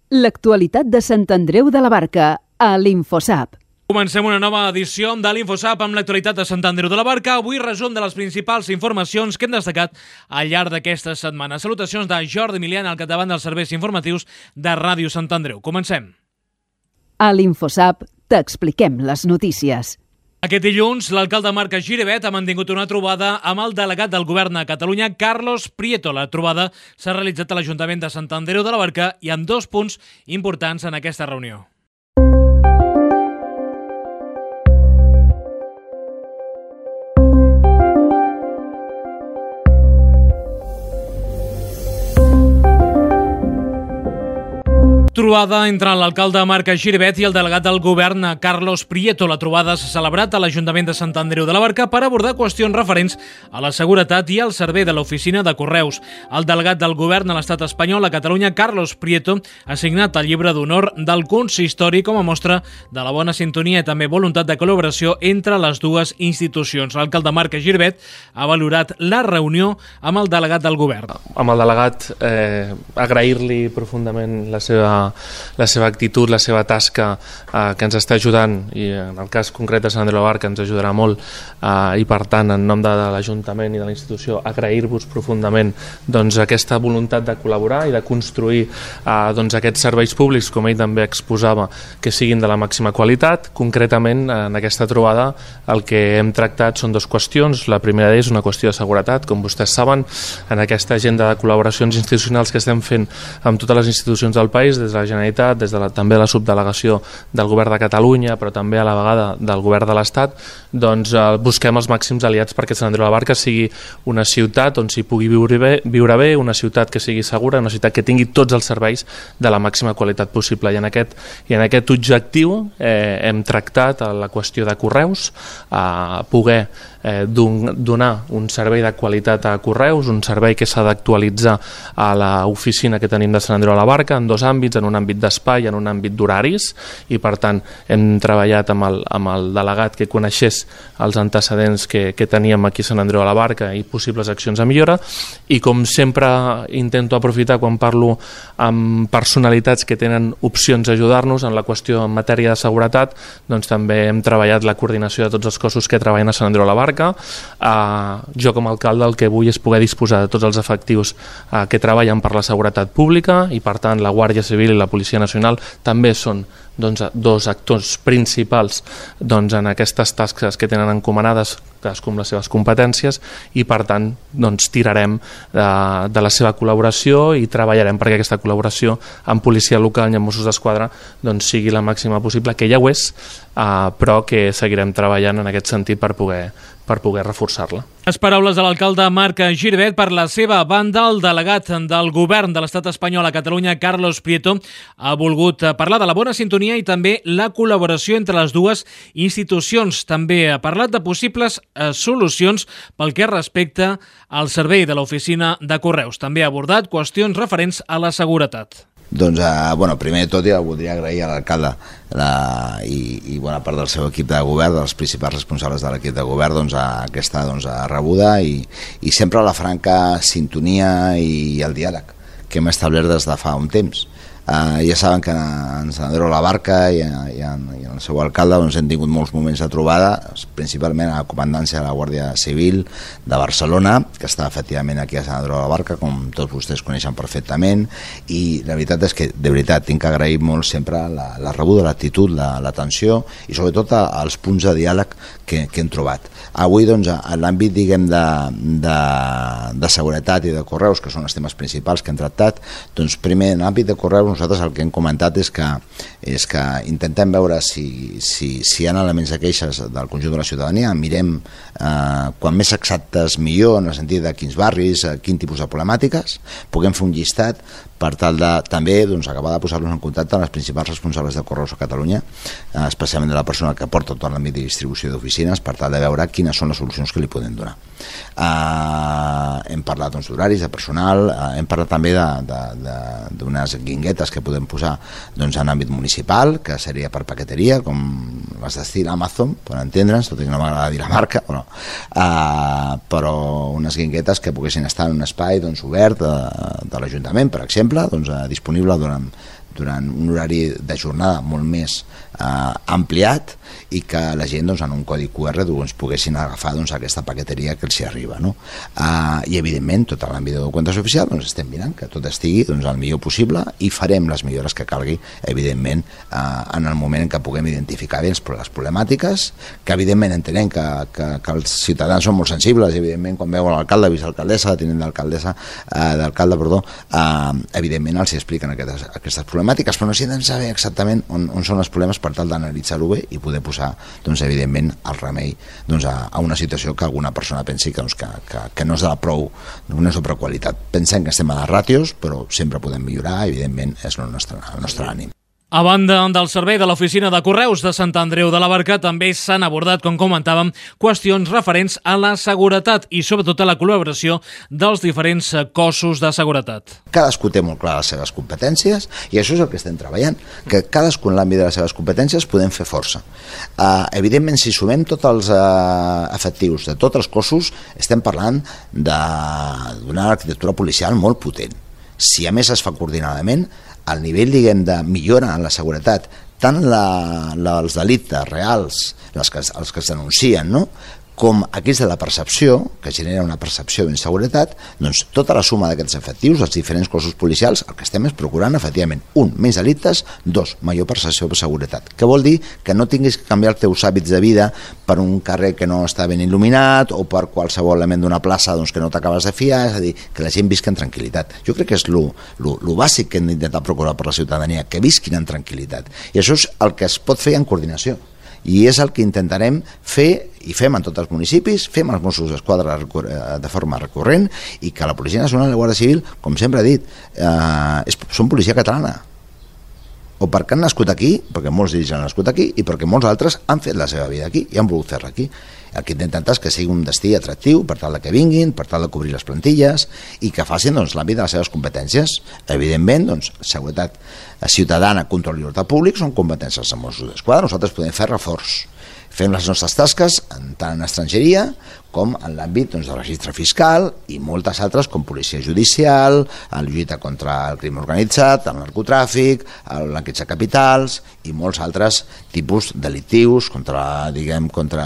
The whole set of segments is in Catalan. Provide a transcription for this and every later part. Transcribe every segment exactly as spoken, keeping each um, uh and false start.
L'actualitat de Sant Andreu de la Barca, a l'Infosap. Comencem una nova edició de l'Infosap amb l'actualitat de Sant Andreu de la Barca. Avui resum de les principals informacions que hem destacat al llarg d'aquesta setmana. Salutacions de Jordi Milian al capdavant dels serveis informatius de Ràdio Sant Andreu. Comencem. A l'Infosap t'expliquem les notícies. Aquest dilluns, l'alcalde Marc Giribet ha mantingut una trobada amb el delegat del Govern a Catalunya, Carlos Prieto. La trobada s'ha realitzat a l'Ajuntament de Sant Andreu de la Barca i amb dos punts importants en aquesta reunió. Trobada entre l'alcalde Marc Giribet i el delegat del Govern, Carlos Prieto. La trobada s'ha celebrat a l'Ajuntament de Sant Andreu de la Barca per abordar qüestions referents a la seguretat i al servei de l'oficina de correus. El delegat del Govern a l'Estat espanyol a Catalunya, Carlos Prieto, ha signat el llibre d'honor del consistori com a mostra de la bona sintonia i també voluntat de col·laboració entre les dues institucions. L'alcalde Marc Giribet ha valorat la reunió amb el delegat del Govern. Amb el delegat, eh, agrair-li profundament la seva la seva actitud, la seva tasca eh, que ens està ajudant, i en el cas concret de Sant Andreu de la Barca ens ajudarà molt, eh, i per tant en nom de, de l'Ajuntament i de la institució agrair-vos profundament doncs, aquesta voluntat de col·laborar i de construir eh, doncs, aquests serveis públics, com ell també exposava, que siguin de la màxima qualitat. Concretament en aquesta trobada el que hem tractat són dues qüestions. La primera és una qüestió de seguretat, com vostès saben, en aquesta agenda de col·laboracions institucionals que estem fent amb totes les institucions del país, des de la Generalitat, des de la, també la subdelegació del Govern de Catalunya, però també a la vegada del Govern de l'Estat, doncs eh, busquem els màxims aliats perquè Sant Andreu de la Barca sigui una ciutat on s'hi pugui viure bé, viure bé, una ciutat que sigui segura, una ciutat que tingui tots els serveis de la màxima qualitat possible. I en aquest, i en aquest objectiu eh, hem tractat la qüestió de correus, a poder eh, don, donar un servei de qualitat a correus, un servei que s'ha d'actualitzar a l'oficina que tenim de Sant Andreu de la Barca en dos àmbits, en un àmbit d'espai i en un àmbit d'horaris, i per tant hem treballat amb el, amb el delegat que coneixés els antecedents que, que teníem aquí a Sant Andreu de la Barca i possibles accions a millora. I com sempre intento aprofitar quan parlo amb personalitats que tenen opcions a ajudar-nos en la qüestió en matèria de seguretat, doncs també hem treballat la coordinació de tots els cossos que treballen a Sant Andreu de la Barca. Uh, jo com a alcalde el que vull és poder disposar de tots els efectius uh, que treballen per la seguretat pública, i per tant la Guàrdia Civil i la Policia Nacional també són doncs, dos actors principals doncs, en aquestes tasques que tenen encomanades, cadascú amb les seves competències, i per tant doncs, tirarem de, de la seva col·laboració i treballarem perquè aquesta col·laboració amb policia local i amb Mossos d'Esquadra doncs, sigui la màxima possible, que ja ho és, eh, però que seguirem treballant en aquest sentit per poder per poder reforçar-la. Les paraules de l'alcalde Marc Giribet. Per la seva banda, el delegat del Govern de l'Estat espanyol a Catalunya, Carlos Prieto, ha volgut parlar de la bona sintonia i també la col·laboració entre les dues institucions. També ha parlat de possibles eh, solucions pel que respecta al servei de l'oficina de correus. També ha abordat qüestions referents a la seguretat. Doncs, eh, bueno, primer de tot ja voldria agrair a l'alcalde i, i bona part del seu equip de govern, dels principals responsables de l'equip de govern, doncs, a aquesta doncs, a rebuda i, i sempre la franca sintonia i el diàleg que hem establert des de fa un temps. Uh, ja saben que en Sant Andreu de la Barca i, i, en, i en el seu alcalde doncs, hem tingut molts moments de trobada, principalment a la comandància de la Guàrdia Civil de Barcelona, que està efectivament aquí a Sant Andreu de la Barca, com tots vostès coneixen perfectament, i la veritat és que, de veritat, tinc que agrair molt sempre la, la rebuda, l'actitud, l'atenció i sobretot els punts de diàleg que, que hem trobat. Avui, doncs, en l'àmbit, diguem, de, de, de seguretat i de correus, que són els temes principals que hem tractat, doncs, primer, en l'àmbit de correus, nosaltres el que hem comentat és que, és que intentem veure si, si, si hi ha elements de queixes del conjunt de la ciutadania, mirem eh, quan més exactes millor, en el sentit de quins barris, eh, quin tipus de problemàtiques, puguem fer un llistat per tal de també doncs, acabar de posar-los en contacte amb els principals responsables de correus a Catalunya, eh, especialment de la persona que porta tot l'àmbit de distribució d'oficines, per tal de veure quines són les solucions que li podem donar. Eh, hem parlat doncs, d'horaris, de personal, eh, hem parlat també d'unes guinguetes que podem posar doncs, en àmbit municipal, que seria per paqueteria, com les d'estil Amazon, per entendre'ns, tot i que no m'agrada dir la marca, però, eh, però unes guinguetes que poguessin estar en un espai doncs, obert de, de l'Ajuntament, per exemple, doncs, eh, disponible durant durant un horari de jornada molt més eh, ampliat i que la gent doncs, en un codi Q R doncs, poguessin agafar doncs, aquesta paqueteria que els hi arriba. No? Eh, I evidentment tot l'àmbit de documentació oficial doncs, estem mirant que tot estigui doncs, el millor possible i farem les millores que calgui evidentment eh, en el moment en què puguem identificar bé les problemàtiques, que evidentment entenem que, que, que els ciutadans són molt sensibles, evidentment quan veuen l'alcalde, vicealcaldessa, tinent d'alcaldessa, eh, d'alcalde, perdó, eh, evidentment els expliquen aquestes, aquestes problemàtiques, però necessitem saber exactament on, on són els problemes per tal d'analitzar-ho bé i poder posar, doncs, evidentment, el remei doncs, a, a una situació que alguna persona pensi que, doncs, que, que, que no és de la prou, no és de prou qualitat. Pensem que estem a les ràtios, però sempre podem millorar, evidentment, és el nostre, el nostre ànim. A banda del servei de l'Oficina de Correus de Sant Andreu de la Barca, també s'han abordat, com comentàvem, qüestions referents a la seguretat i sobretot a la col·laboració dels diferents cossos de seguretat. Cadascú té molt clar les seves competències i això és el que estem treballant, que cadascú en l'àmbit de les seves competències podem fer força. Uh, evidentment, si sumem tots els uh, efectius de tots els cossos, estem parlant d'una arquitectura policial molt potent. Si a més es fa coordinadament, el nivell, diguem, de millora en la seguretat, tant la, la, els delictes reals, les que, els que es denuncien, no?, com aquells de la percepció, que genera una percepció d'inseguretat, doncs tota la suma d'aquests efectius, els diferents cossos policials, el que estem és procurant, efectivament, un, menys delictes, dos, major percepció de seguretat. Què vol dir? Que no tinguis que canviar els teus hàbits de vida per un carrer que no està ben il·luminat o per qualsevol element d'una plaça doncs, que no t'acabes de fiar, és a dir, que la gent visqui en tranquil·litat. Jo crec que és lo, lo, lo bàsic que hem d'intentar procurar per la ciutadania, que visquin en tranquil·litat. I això és el que es pot fer en coordinació. I és el que intentarem fer, i fem en tots els municipis, fem els Mossos d'Esquadra de forma recurrent, i que la Policia Nacional i la Guàrdia Civil, com sempre he dit, eh, és, són policia catalana. O perquè han nascut aquí, perquè molts d'ells han nascut aquí, i perquè molts altres han fet la seva vida aquí i han volgut fer-la aquí. El que intentem és que sigui un destí atractiu per tal que vinguin, per tal de cobrir les plantilles i que facin doncs, l'àmbit de les seves competències. Evidentment, doncs, seguretat ciutadana, control i ordre públic són competències dels Mossos d'Esquadra. Nosaltres podem fer reforç. Fem les nostres tasques tant en estrangeria com en l'àmbit doncs, del registre fiscal i moltes altres com policia judicial, la lluita contra el crim organitzat, el narcotràfic, el blanqueig de capitals i molts altres tipus delictius contra, diguem, contra,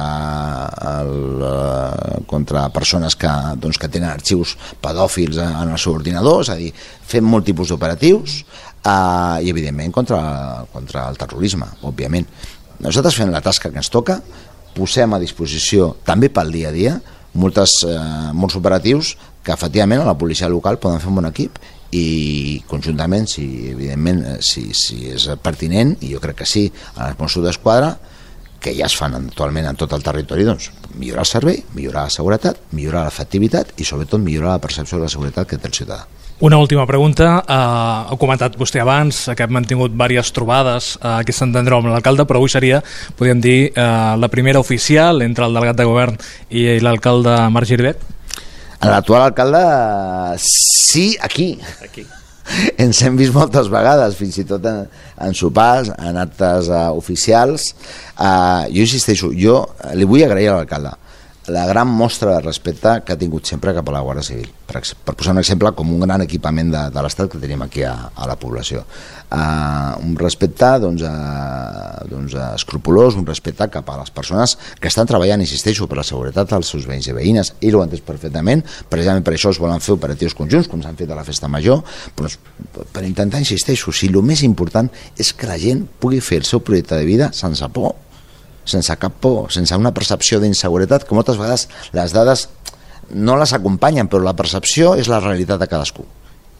el, contra persones que, doncs, que tenen arxius pedòfils en el seu ordinador, és a dir, fem molt tipus d'operatius eh, i evidentment contra, contra el terrorisme, òbviament. Nosaltres fem la tasca que ens toca, posem a disposició també pel dia a dia moltes, eh, molts operatius que efectivament a la policia local poden fer un bon equip i conjuntament, si, evidentment, si, si és pertinent, i jo crec que sí, a els Mossos d'Esquadra, que ja es fan actualment en tot el territori, doncs millorar el servei, millorar la seguretat, millorar l'efectivitat i sobretot millorar la percepció de la seguretat que té el ciutadà. Una última pregunta. Uh, ha comentat vostè abans que hem mantingut diverses trobades uh, aquí a Sant Andreu amb l'alcalde, però avui seria, podríem dir, uh, la primera oficial entre el delegat de govern i l'alcalde Marc Giribet? L'actual alcalde, sí, aquí. Aquí. Ens hem vist moltes vegades, fins i tot en, en sopars, en actes uh, oficials. Uh, jo insisteixo, jo li vull agrair a l'alcalde la gran mostra de respecte que ha tingut sempre cap a la Guàrdia Civil, per, per posar un exemple com un gran equipament de, de l'Estat que tenim aquí a, a la població. Uh, un respecte doncs, uh, doncs, uh, escrupolós, un respecte cap a les persones que estan treballant, insisteixo, per la seguretat dels seus veïns i veïnes. Ell ho ha entès perfectament, precisament per això es volen fer operatius conjunts, com s'han fet a la Festa Major, però per intentar, insisteixo, si el més important és que la gent pugui fer el seu projecte de vida sense por, sense cap por, sense una percepció d'inseguretat, que moltes vegades les dades no les acompanyen, però la percepció és la realitat de cadascú.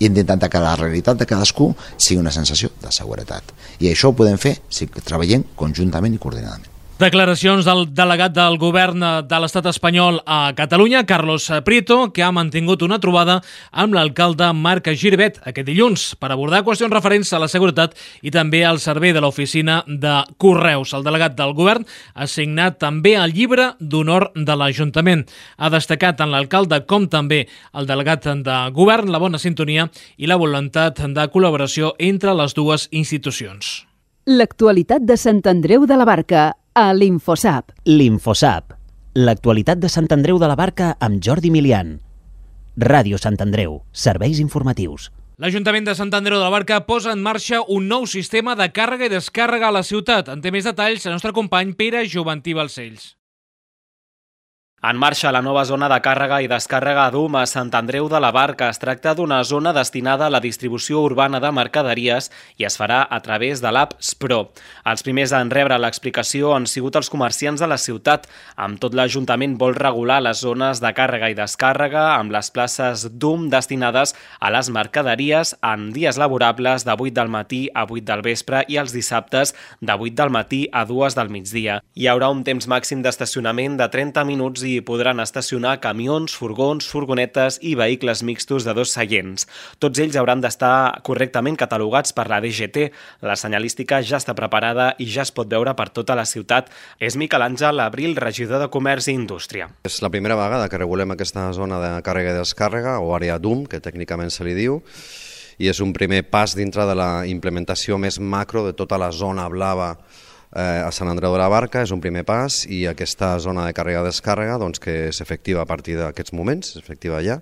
I hem d'intentar que la realitat de cadascú sigui una sensació de seguretat. I això ho podem fer si treballem conjuntament i coordinadament. Declaracions del delegat del govern de l'estat espanyol a Catalunya, Carlos Prieto, que ha mantingut una trobada amb l'alcalde Marc Giribet aquest dilluns per abordar qüestions referents a la seguretat i també al servei de l'oficina de Correus. El delegat del govern ha signat també el llibre d'honor de l'Ajuntament. Ha destacat tant l'alcalde com també el delegat de govern la bona sintonia i la voluntat de col·laboració entre les dues institucions. L'actualitat de Sant Andreu de la Barca a l'Infosap. L'Infosap. L'actualitat de Sant Andreu de la Barca amb Jordi Milian. Ràdio Sant Andreu. Serveis informatius. L'Ajuntament de Sant Andreu de la Barca posa en marxa un nou sistema de càrrega i descàrrega a la ciutat. En té més detalls el nostre company Pere Joventí Balcells. En marxa la nova zona de càrrega i descàrrega a Dum a Sant Andreu de la Barca. Es tracta d'una zona destinada a la distribució urbana de mercaderies i es farà a través de l'app Spro. Els primers en rebre l'explicació han sigut els comerciants de la ciutat. Amb tot, l'Ajuntament vol regular les zones de càrrega i descàrrega amb les places Dum destinades a les mercaderies en dies laborables de vuit del matí a vuit del vespre i els dissabtes de vuit del matí a dues del migdia. Hi haurà un temps màxim d'estacionament de trenta minuts i podran estacionar camions, furgons, furgonetes i vehicles mixtos de dos seients. Tots ells hauran d'estar correctament catalogats per la D G T. La senyalística ja està preparada i ja es pot veure per tota la ciutat. És Miquel Àngel Abril, regidor de Comerç i Indústria. És la primera vegada que regulem aquesta zona de càrrega i descàrrega, o àrea Dum, que tècnicament se li diu, i és un primer pas dintre de la implementació més macro de tota la zona blava Eh, a Sant Andreu de la Barca. És un primer pas i aquesta zona de càrrega-descàrrega doncs, que és efectiva a partir d'aquests moments, és efectiva ja,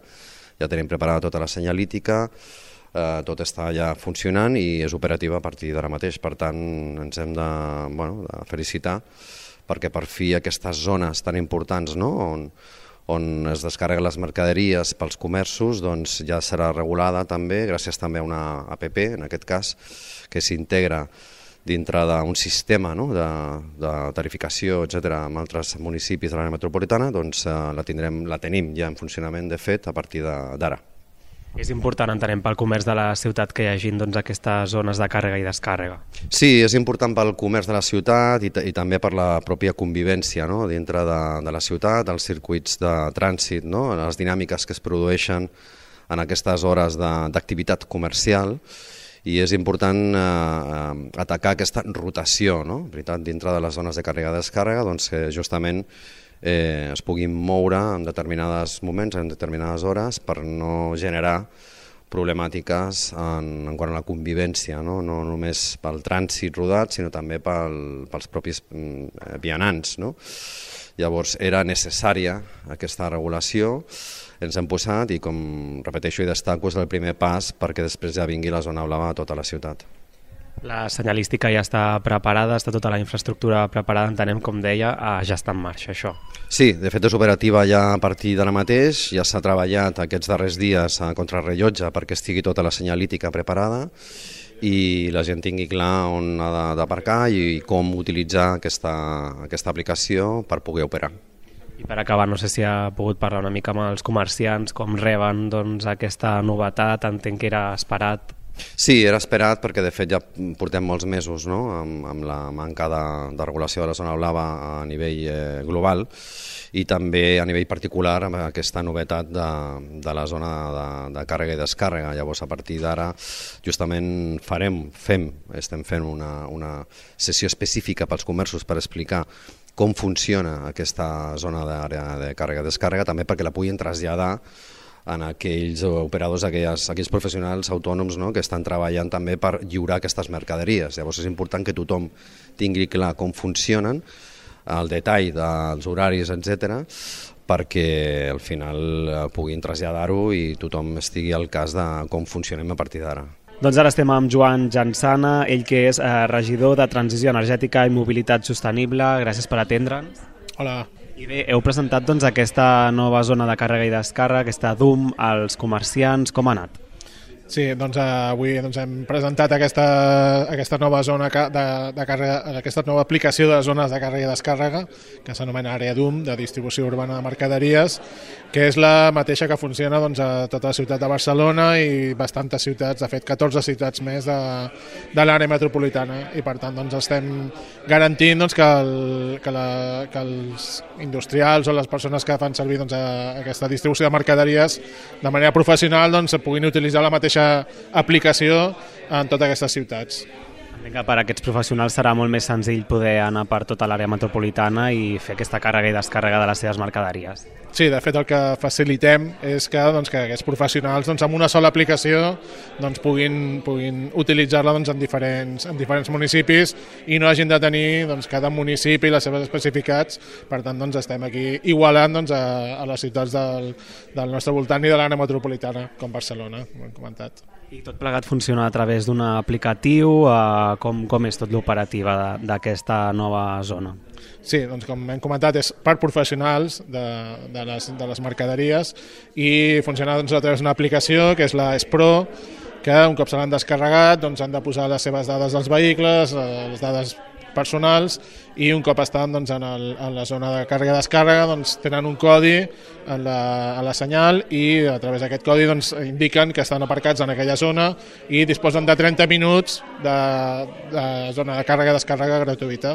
ja tenim preparada tota la senyalítica, eh, tot està ja funcionant i és operativa a partir d'ara mateix, per tant ens hem de, bueno, de felicitar perquè per fi aquestes zones tan importants, no?, on, on es descarreguen les mercaderies pels comerços, doncs ja serà regulada també, gràcies també a una app, en aquest cas, que s'integra dintre d'un sistema, no?, de, de tarificació, etcètera, amb altres municipis de l'àrea metropolitana, doncs eh, la, tindrem, la tenim ja en funcionament, de fet, a partir d'ara. És important, entenem, pel comerç de la ciutat que hi hagi doncs, aquestes zones de càrrega i descàrrega. Sí, és important pel comerç de la ciutat i, i també per la pròpia convivència, no?, dintre de, de la ciutat, els circuits de trànsit, no?, les dinàmiques que es produeixen en aquestes hores d'activitat comercial, i és important eh, atacar aquesta rotació, no?, veritat, dintre de les zones de càrrega i descàrrega, doncs que justament eh, es puguin moure en determinats moments, en determinades hores, per no generar problemàtiques en, en quant a la convivència, no, no només pel trànsit rodat, sinó també pel, pels propis eh, vianants, no? Llavors era necessària aquesta regulació, ens hem posat i, com repeteixo i destaco, és el primer pas perquè després ja vingui la zona blava a tota la ciutat. La senyalística ja està preparada, està tota la infraestructura preparada, entenem, com deia, ja està en marxa això. Sí, de fet és operativa ja a partir d'ara mateix, ja s'ha treballat aquests darrers dies a contrarrellotge perquè estigui tota la senyalítica preparada i la gent tingui clar on ha d'aparcar i com utilitzar aquesta, aquesta aplicació per poder operar. I per acabar, no sé si ha pogut parlar una mica amb els comerciants, com reben doncs, aquesta novetat, entenc que era esperat. Sí, era esperat perquè de fet ja portem molts mesos, no?, amb, amb la manca de, de regulació de la zona blava a nivell eh, global i també a nivell particular amb aquesta novetat de, de la zona de, de càrrega i descàrrega. Llavors a partir d'ara justament farem, fem, estem fent una, una sessió específica pels comerços per explicar com funciona aquesta zona d'àrea de càrrega i descàrrega, també perquè la puguin traslladar en aquells operadors, aquells, aquells professionals autònoms, no?, que estan treballant també per lliurar aquestes mercaderies. Llavors és important que tothom tingui clar com funcionen, el detall dels horaris, etcètera, perquè al final puguin traslladar-ho i tothom estigui al cas de com funcionem a partir d'ara. Doncs ara estem amb Joan Jansana, ell que és eh, regidor de Transició Energètica i Mobilitat Sostenible. Gràcies per atendre'ns. Hola. I bé, heu presentat doncs, aquesta nova zona de càrrega i descàrrega, aquesta Dum, als comerciants. Com ha anat? Sí, doncs avui doncs, hem presentat aquesta, aquesta nova zona de, de càrrega, aquesta nova aplicació de zones de càrrega i descàrrega, que s'anomena àrea Dum, de distribució urbana de mercaderies, que és la mateixa que funciona doncs, a tota la ciutat de Barcelona i bastantes ciutats, de fet catorze ciutats més de, de l'àrea metropolitana, i per tant doncs, estem garantint doncs, que, el, que, la, que els industrials o les persones que fan servir doncs, a, aquesta distribució de mercaderies de manera professional doncs, puguin utilitzar la mateixa aplicació en totes aquestes ciutats. Entenc que per a aquests professionals serà molt més senzill poder anar per tota l'àrea metropolitana i fer aquesta càrrega i descàrrega de les seves mercaderies. Sí, de fet el que facilitem és que, doncs, que aquests professionals doncs, amb una sola aplicació doncs, puguin, puguin utilitzar-la doncs, en, diferents, en diferents municipis i no hagin de tenir doncs, cada municipi i les seves especificats. Per tant, doncs, estem aquí igualant doncs, a, a les ciutats del, del nostre voltant i de l'àrea metropolitana, com Barcelona, ho hem comentat. I tot plegat funciona a través d'un aplicatiu? Eh, com, com és tot l'operativa d'aquesta nova zona? Sí, doncs com hem comentat, és per professionals de, de, les, de les mercaderies i funciona doncs, a través d'una aplicació que és la S-Pro, que un cop se l'han descarregat doncs, han de posar les seves dades dels vehicles, les dades personals, i un cop estan doncs, en, el, en la zona de càrrega i descàrrega doncs, tenen un codi en la, en la senyal i a través d'aquest codi doncs, indiquen que estan aparcats en aquella zona i disposen de trenta minuts de, de zona de càrrega i descàrrega gratuïta.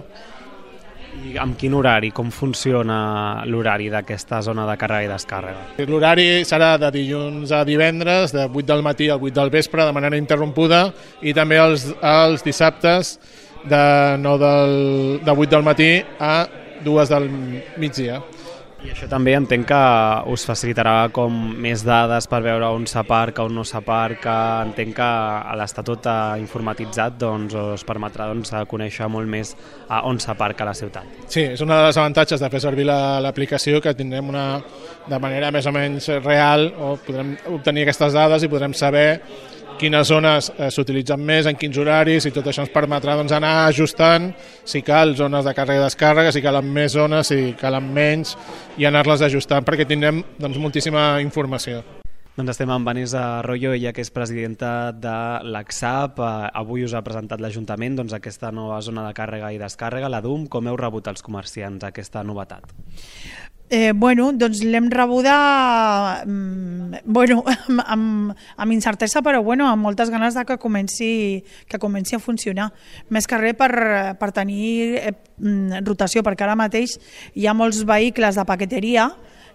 I amb quin horari? Com funciona l'horari d'aquesta zona de càrrega i descàrrega? L'horari serà de dilluns a divendres, de vuit del matí al vuit del vespre, de manera interrompuda, i també els, els dissabtes de, nou del, de vuit del matí a dues del migdia. I això també entenc que us facilitarà com més dades per veure on s'aparca, on no s'aparca. Entenc que a l'estar tot informatitzat doncs, us permetrà doncs, conèixer molt més on s'aparca la ciutat. Sí, és una de les avantatges de fer servir l'aplicació, que tindrem una, de manera més o menys real, o podrem obtenir aquestes dades i podrem saber quines zones eh, s'utilitzen més, en quins horaris, i tot això ens permetrà doncs, anar ajustant si cal zones de càrrega i descàrrega, si calen més zones, si calen menys, i anar-les ajustant perquè tindrem doncs, moltíssima informació. Doncs estem amb Vanessa Arroyo, ella que és presidenta de l'ACSAP. Avui us ha presentat l'Ajuntament doncs, aquesta nova zona de càrrega i descàrrega, la D U M. Com heu rebut els comerciants aquesta novetat? Eh, bueno, doncs l'hem rebuda bueno, amb, amb, amb incertesa, però bueno, amb moltes ganes de que comenci, que comenci a funcionar. Més que res per, per tenir eh, rotació, perquè ara mateix hi ha molts vehicles de paqueteria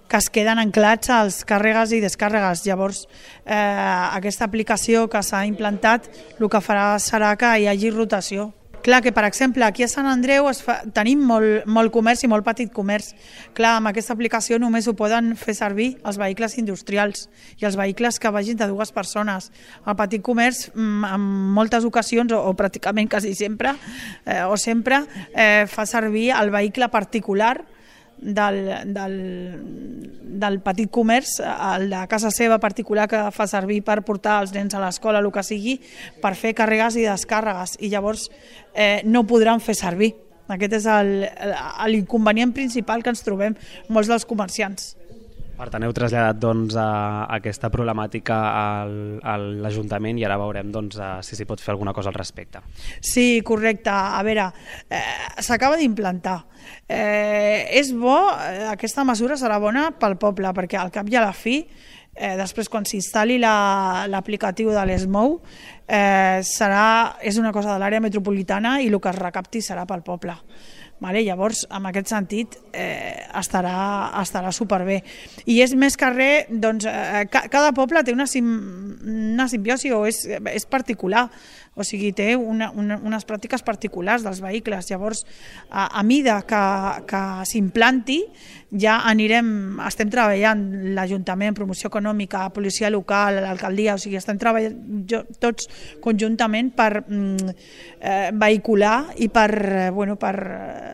que es queden anclats als càrregues i descàrregues. Llavors, eh, aquesta aplicació que s'ha implantat el que farà serà que hi hagi rotació. Clar que, per exemple, aquí a Sant Andreu es fa, tenim molt, molt comerç i molt petit comerç. Clar, amb aquesta aplicació només ho poden fer servir els vehicles industrials i els vehicles que vagin de dues persones. El petit comerç, en moltes ocasions, o, o pràcticament quasi sempre, eh, o sempre, eh, fa servir el vehicle particular del, del, del petit comerç, el de casa seva particular que fa servir per portar els nens a l'escola, el que sigui, per fer càrregues i descàrregues, i llavors eh, no podran fer servir. Aquest és l'inconvenient principal que ens trobem molts dels comerciants. Per tant, heu traslladat doncs, a aquesta problemàtica al, a l'Ajuntament i ara veurem doncs, si s'hi pot fer alguna cosa al respecte. Sí, correcte. A veure, eh, s'acaba d'implantar. Eh, és bo, aquesta mesura serà bona pel poble, perquè al cap i a la fi, eh, després quan s'instal·li l'aplicatiu de l'ESMOU, eh, serà, és una cosa de l'àrea metropolitana i el que es recapti serà pel poble. Vale, llavors, en aquest sentit, eh, estarà, estarà superbé. I és més que res, doncs, eh, cada poble té una, sim, una simbiosi o és, és particular, o sigui, té una, una, unes pràctiques particulars dels vehicles. Llavors, a, a mida que, que s'implanti, ja anirem, estem treballant l'Ajuntament, promoció econòmica, policia local, l'alcaldia, o sigui, estem treballant jo, tots conjuntament per mm, eh, vehicular i per, eh, bueno, per eh,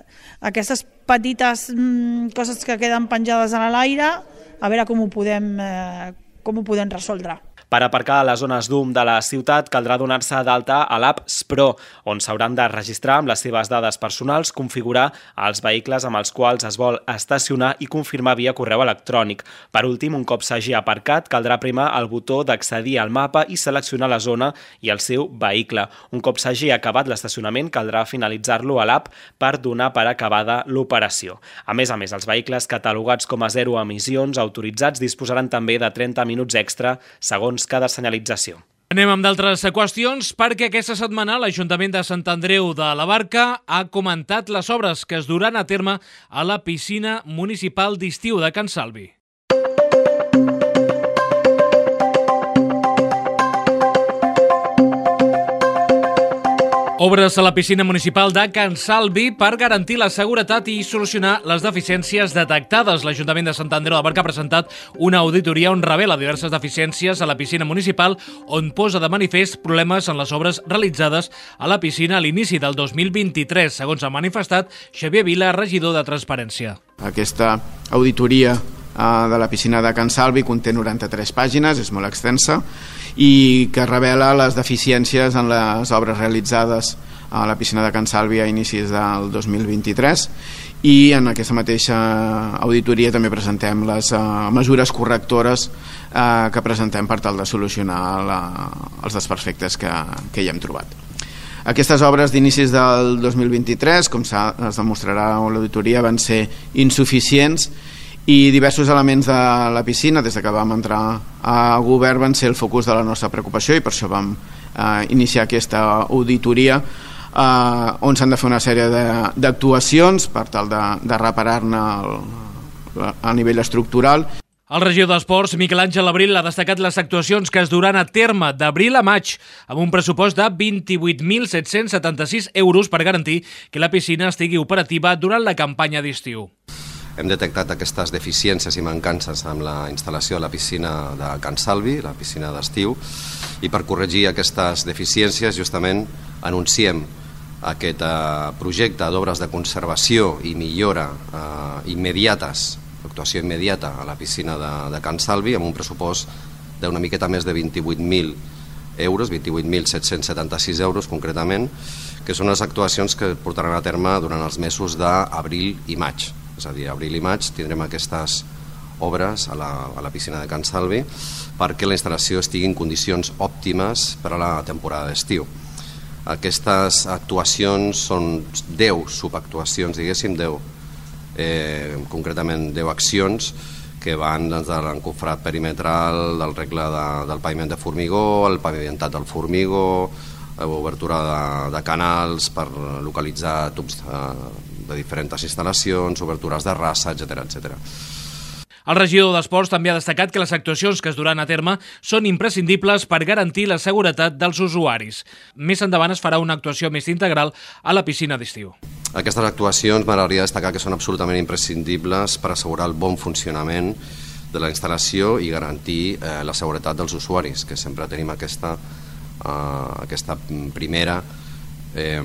aquestes petites mm, coses que queden penjades a l'aire, a veure com ho podem, eh, com ho podem resoldre. Per aparcar a les zones d'U M de la ciutat caldrà donar-se d'alta a l'app S-Pro, on s'hauran de registrar amb les seves dades personals, configurar els vehicles amb els quals es vol estacionar i confirmar via correu electrònic. Per últim, un cop s'hagi aparcat, caldrà primar el botó d'accedir al mapa i seleccionar la zona i el seu vehicle. Un cop s'hagi acabat l'estacionament, caldrà finalitzar-lo a l'app per donar per acabada l'operació. A més a més, els vehicles catalogats com a zero emissions autoritzats disposaran també de trenta minuts extra segons cada senyalització. Anem amb d'altres qüestions perquè aquesta setmana l'Ajuntament de Sant Andreu de la Barca ha comentat les obres que es duran a terme a la piscina municipal d'estiu de Can Salvi. Obres a la piscina municipal de Can Salvi per garantir la seguretat i solucionar les deficiències detectades. L'Ajuntament de Sant Andreu de la Barca ha presentat una auditoria on revela diverses deficiències a la piscina municipal, on posa de manifest problemes en les obres realitzades a la piscina a l'inici del dos mil vint-i-tres, segons ha manifestat Xavier Vila, regidor de Transparència. Aquesta auditoria de la piscina de Can Salvi conté noranta-tres pàgines, és molt extensa, i que revela les deficiències en les obres realitzades a la piscina de Can Salvi a inicis del dos mil vint-i-tres, i en aquesta mateixa auditoria també presentem les uh, mesures correctores uh, que presentem per tal de solucionar la, els desperfectes que, que hi hem trobat. Aquestes obres d'inicis del dos mil vint-i-tres, com es demostrarà a l'auditoria, van ser insuficients, i diversos elements de la piscina des que vam entrar a govern van ser el focus de la nostra preocupació, i per això vam eh, iniciar aquesta auditoria eh, on s'han de fer una sèrie d'actuacions per tal de, de reparar-ne a nivell estructural. El regidor d'Esports, Miquel Àngel Abril, ha destacat les actuacions que es duran a terme d'abril a maig, amb un pressupost de vint-i-vuit mil set-cents setanta-sis euros per garantir que la piscina estigui operativa durant la campanya d'estiu. Hem detectat aquestes deficiències i mancances amb la instal·lació de la piscina de Can Salvi, la piscina d'estiu, i per corregir aquestes deficiències justament anunciem aquest eh, projecte d'obres de conservació i millora eh, immediates, actuació immediata a la piscina de, de Can Salvi, amb un pressupost d'una miqueta més de vint-i-vuit mil euros, vint-i-vuit mil set-cents setanta-sis euros concretament, que són les actuacions que portaran a terme durant els mesos d'abril i maig. És a dir, abril i maig tindrem aquestes obres a la, a la piscina de Can Salvi perquè la instal·lació estigui en condicions òptimes per a la temporada d'estiu. Aquestes actuacions són deu subactuacions, diguéssim, deu, eh, concretament deu accions que van des de l'encofrat perimetral, del regle de, del paviment de formigó, el pavimentat del formigó, obertura de, de canals per localitzar tubs de, de diferents instal·lacions, obertures de rassa, etcètera, etcètera. El regidor d'Esports també ha destacat que les actuacions que es duran a terme són imprescindibles per garantir la seguretat dels usuaris. Més endavant es farà una actuació més integral a la piscina d'estiu. Aquestes actuacions m'agradaria destacar que són absolutament imprescindibles per assegurar el bon funcionament de la instal·lació i garantir eh, la seguretat dels usuaris, que sempre tenim aquesta, eh, aquesta primera Eh,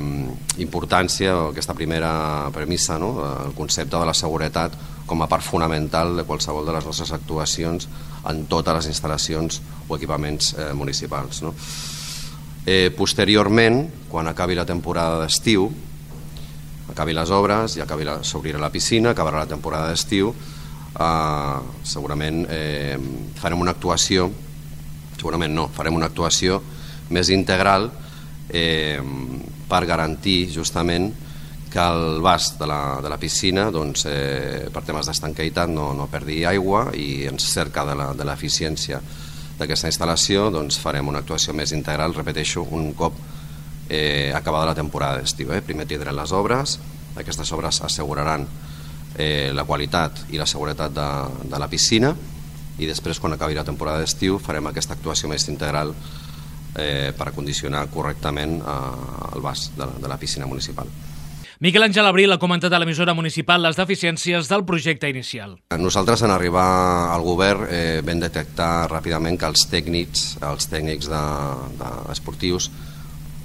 importància o aquesta primera premissa, no? El concepte de la seguretat com a part fonamental de qualsevol de les nostres actuacions en totes les instal·lacions o equipaments eh, municipals, no? Eh, posteriorment, quan acabi la temporada d'estiu, acabi les obres i s'obrirà la piscina, acabarà la temporada d'estiu, eh, segurament eh, farem una actuació, segurament no, farem una actuació més integral eh, per garantir justament que el vas de la, de la piscina doncs, eh, per temes d'estanqueïtat no, no perdi aigua, i en cerca de l'eficiència d'aquesta instal·lació doncs, farem una actuació més integral, repeteixo, un cop eh, acabada la temporada d'estiu. Eh? Primer tindrem les obres, aquestes obres asseguraran eh, la qualitat i la seguretat de, de la piscina, i després, quan acabi la temporada d'estiu, farem aquesta actuació més integral Eh, per acondicionar correctament eh, el vas de, de la piscina municipal. Miquel Àngel Abril ha comentat a l'emissora municipal les deficiències del projecte inicial. Nosaltres, en arribar al govern, eh, vam detectar ràpidament que els tècnics, els tècnics de, de esportius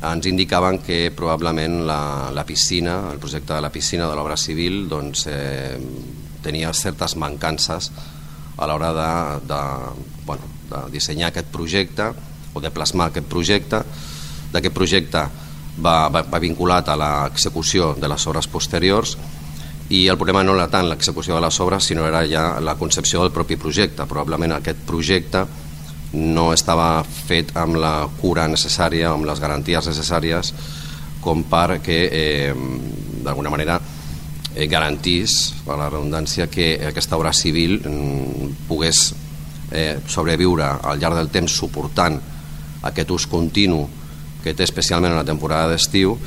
ens indicaven que probablement la, la piscina, el projecte de la piscina de l'obra civil doncs, eh, tenia certes mancances a l'hora de, de, bueno, de dissenyar aquest projecte o de plasmar aquest projecte. D'aquest projecte va, va, va vinculat a l'execució de les obres posteriors, i el problema no era tant l'execució de les obres, sinó era ja la concepció del propi projecte. Probablement aquest projecte no estava fet amb la cura necessària, amb les garanties necessàries com perquè eh, d'alguna manera eh, garantís, per la redundància, que aquesta obra civil mm, pogués eh, sobreviure al llarg del temps suportant aquest ús continu que té especialment en la temporada d'estiu,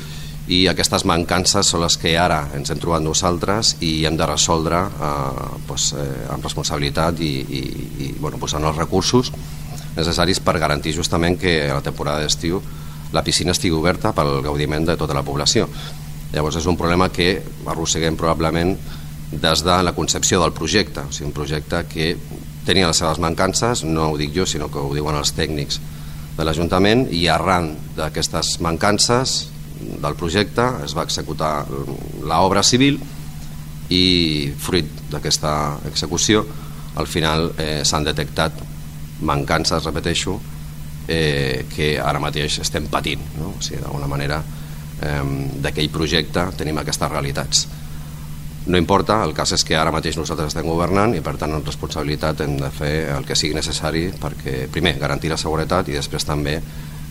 i aquestes mancances són les que ara ens hem trobat nosaltres i hem de resoldre eh, doncs, eh, amb responsabilitat i, i, i bueno, posant els recursos necessaris per garantir justament que a la temporada d'estiu la piscina estigui oberta pel gaudiment de tota la població. Llavors és un problema que arrosseguem probablement des de la concepció del projecte, o sigui, un projecte que tenia les seves mancances, no ho dic jo, sinó que ho diuen els tècnics de l'Ajuntament, i arran d'aquestes mancances del projecte es va executar l'obra civil, i fruit d'aquesta execució al final eh, s'han detectat mancances, repeteixo, eh, que ara mateix estem patint, no? O sigui, d'alguna manera eh, d'aquell projecte tenim aquestes realitats. No importa, el cas és que ara mateix nosaltres estem governant i per tant en responsabilitat hem de fer el que sigui necessari perquè primer garantir la seguretat i després també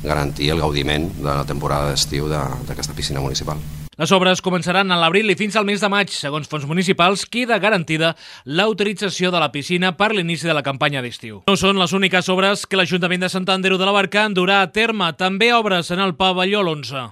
garantir el gaudiment de la temporada d'estiu d'aquesta piscina municipal. Les obres començaran a l'abril i fins al mes de maig. Segons fons municipals, queda garantida l'autorització de la piscina per l'inici de la campanya d'estiu. No són les úniques obres que l'Ajuntament de Sant Andreu de la Barca durà a terme. També obres en el pavelló l'onze.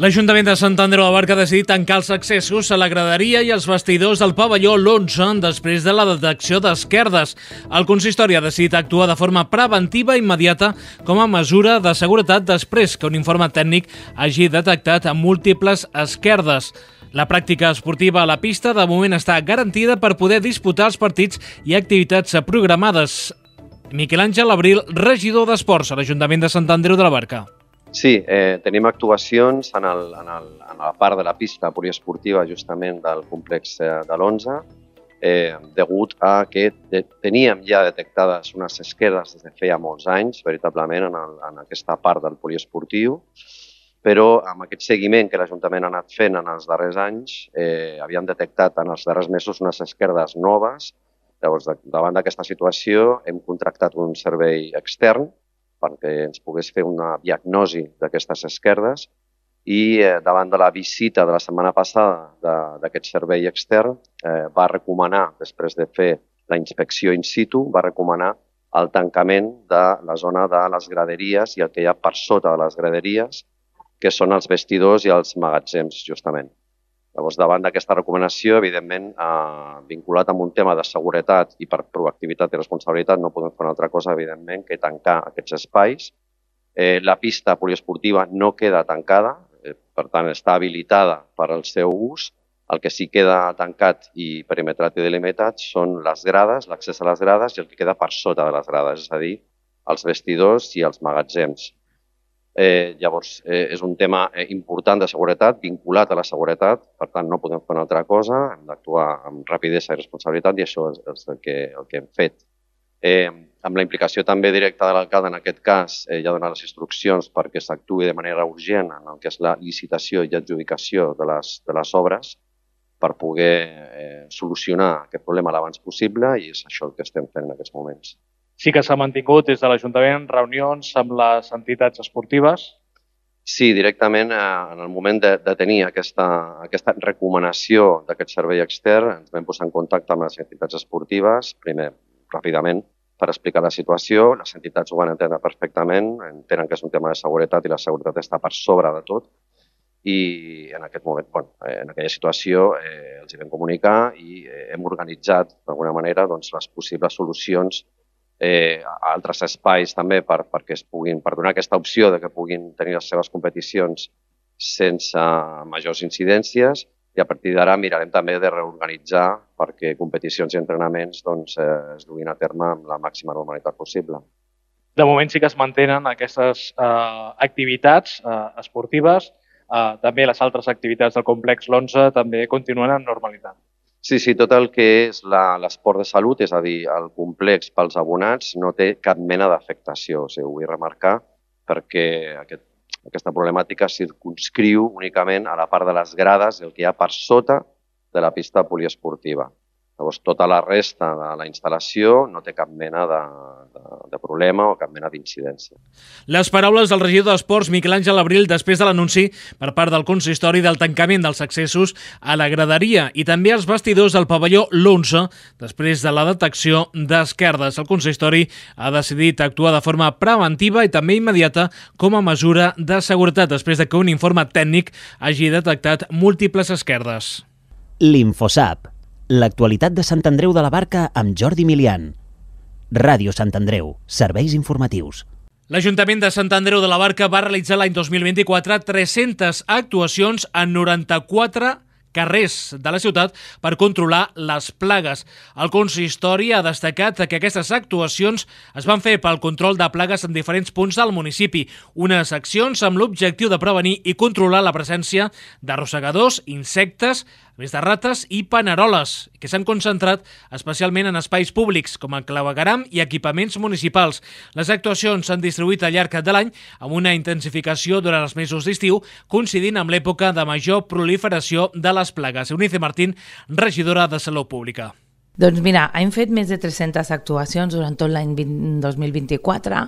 L'Ajuntament de Sant Andreu de la Barca ha decidit tancar els accessos a la graderia i els vestidors del pavelló l'onze després de la detecció d'esquerdes. El consistori ha decidit actuar de forma preventiva i immediata com a mesura de seguretat després que un informe tècnic hagi detectat múltiples esquerdes. La pràctica esportiva a la pista de moment està garantida per poder disputar els partits i activitats programades. Miquel Àngel Abril, regidor d'Esports a l'Ajuntament de Sant Andreu de la Barca. Sí, eh, tenim actuacions en, el, en, el, en la part de la pista poliesportiva justament del complex de l'onze, eh, degut a que de, teníem ja detectades unes esquerdes des de feia molts anys, veritablement, en, el, en aquesta part del poliesportiu, però amb aquest seguiment que l'Ajuntament ha anat fent en els darrers anys, eh, havíem detectat en els darrers mesos unes esquerdes noves. Llavors, davant d'aquesta situació, hem contractat un servei extern perquè ens pogués fer una diagnosi d'aquestes esquerdes i eh, davant de la visita de la setmana passada d'aquest servei extern eh, va recomanar, després de fer la inspecció in situ, va recomanar el tancament de la zona de les graderies i el que hi ha per sota de les graderies, que són els vestidors i els magatzems, justament. Llavors, davant d'aquesta recomanació, evidentment, eh, vinculat amb un tema de seguretat i per proactivitat i responsabilitat, no podem fer una altra cosa, evidentment, que tancar aquests espais. Eh, la pista poliesportiva no queda tancada, eh, per tant, està habilitada per al seu ús. El que sí queda tancat i perimetrat i delimitat són les grades, l'accés a les grades i el que queda per sota de les grades, és a dir, els vestidors i els magatzems. Eh, llavors, eh, és un tema eh, important de seguretat, vinculat a la seguretat, per tant no podem fer una altra cosa, hem d'actuar amb rapidesa i responsabilitat i això és, és el, que, el que hem fet. Eh, amb la implicació també directa de l'alcalde, en aquest cas, eh, ja ha donat les instruccions perquè s'actuï de manera urgent en el que és la licitació i adjudicació de les, de les obres per poder eh, solucionar aquest problema l'abans possible i és això el que estem fent en aquests moments. Sí que s'ha mantingut des de l'Ajuntament reunions amb les entitats esportives? Sí, directament eh, en el moment de, de tenir aquesta, aquesta recomanació d'aquest servei extern ens vam posar en contacte amb les entitats esportives, primer, ràpidament, per explicar la situació. Les entitats ho van entendre perfectament, entenen que és un tema de seguretat i la seguretat està per sobre de tot i en aquest moment, bueno, en aquella situació eh, els hi vam comunicar i eh, hem organitzat d'alguna manera doncs, les possibles solucions Eh, a altres espais també per, perquè es puguin, per donar aquesta opció de que puguin tenir les seves competicions sense majors incidències i a partir d'ara mirarem també de reorganitzar perquè competicions i entrenaments doncs, eh, es duguin a terme amb la màxima normalitat possible. De moment sí que es mantenen aquestes eh, activitats eh, esportives, eh, també les altres activitats del complex l'onze també continuen en normalitat. Sí, sí, tot el que és l'esport de salut, és a dir, el complex pels abonats, no té cap mena d'afectació. O sigui, ho vull remarcar perquè aquest, aquesta problemàtica circunscriu únicament a la part de les grades, el que hi ha per sota de la pista poliesportiva. Llavors, tota la resta de la instal·lació no té cap mena de, de, de problema o cap mena d'incidència. Les paraules del regidor d'Esports, Miquel Àngel Abril, després de l'anunci per part del consistori del tancament dels accessos a la graderia i també als vestidors del pavelló l'onze, després de la detecció d'esquerdes. El consistori ha decidit actuar de forma preventiva i també immediata com a mesura de seguretat, després de que un informe tècnic hagi detectat múltiples esquerdes. L'Infosap. L'actualitat de Sant Andreu de la Barca amb Jordi Milian. Ràdio Sant Andreu. Serveis informatius. L'Ajuntament de Sant Andreu de la Barca va realitzar l'any dos mil vint-i-quatre tres-centes actuacions en noranta-quatre carrers de la ciutat per controlar les plagues. El consistori ha destacat que aquestes actuacions es van fer pel control de plagues en diferents punts del municipi, unes accions amb l'objectiu de prevenir i controlar la presència d'arrossegadors, insectes, a més de rates i paneroles, que s'han concentrat especialment en espais públics, com el clavegueram i equipaments municipals. Les actuacions s'han distribuït al llarg de l'any amb una intensificació durant els mesos d'estiu, coincidint amb l'època de major proliferació de les plagues. Eunice Martín, regidora de Salut Pública. Doncs mira, hem fet més de tres-centes actuacions durant tot l'any dos mil vint-i-quatre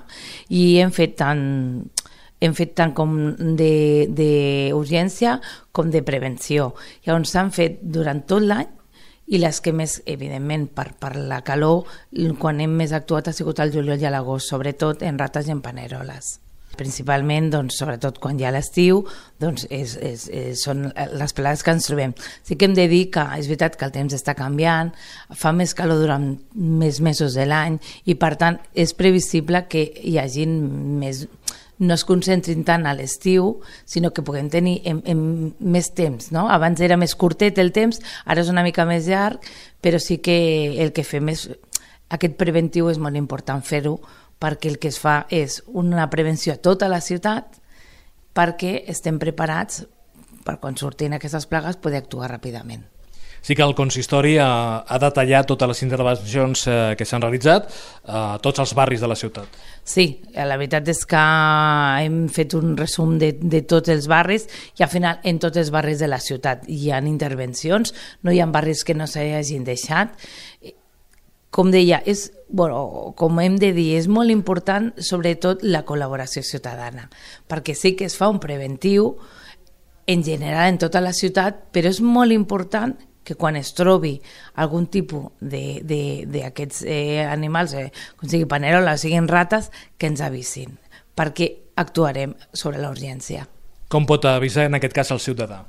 i hem fet tant... hem fet tant com d'urgència com de prevenció. Llavors s'han fet durant tot l'any i les que més, evidentment, per, per la calor, quan hem més actuat ha sigut el juliol i l'agost, sobretot en rates i en paneroles. Principalment, doncs, sobretot quan hi ha l'estiu, doncs és, és, és, són les plagues que ens trobem. Sí que hem de dir que és veritat que el temps està canviant, fa més calor durant més mesos de l'any i, per tant, és previsible que hi hagi més... no es concentrin tant a l'estiu, sinó que puguem tenir en, en més temps, no? Abans era més curtet el temps, ara és una mica més llarg, però sí que el que fem és... Aquest preventiu és molt important fer-ho, perquè el que es fa és una prevenció a tota la ciutat perquè estem preparats per quan surtin aquestes plagues poder actuar ràpidament. Sí que el consistori ha, ha detallat totes les intervencions eh, que s'han realitzat a tots els barris de la ciutat. Sí, la veritat és que hem fet un resum de, de tots els barris i al final en tots els barris de la ciutat hi ha intervencions, no hi ha barris que no s'hagin deixat. Com deia, és, bueno, com hem de dir, és molt important sobretot la col·laboració ciutadana, perquè sí que es fa un preventiu en general en tota la ciutat, però és molt important que quan es trobi algun tipus d'aquests eh, animals, eh, com sigui panerola o siguin rates, que ens avisin, perquè actuarem sobre la urgència. Com pot avisar en aquest cas el ciutadà?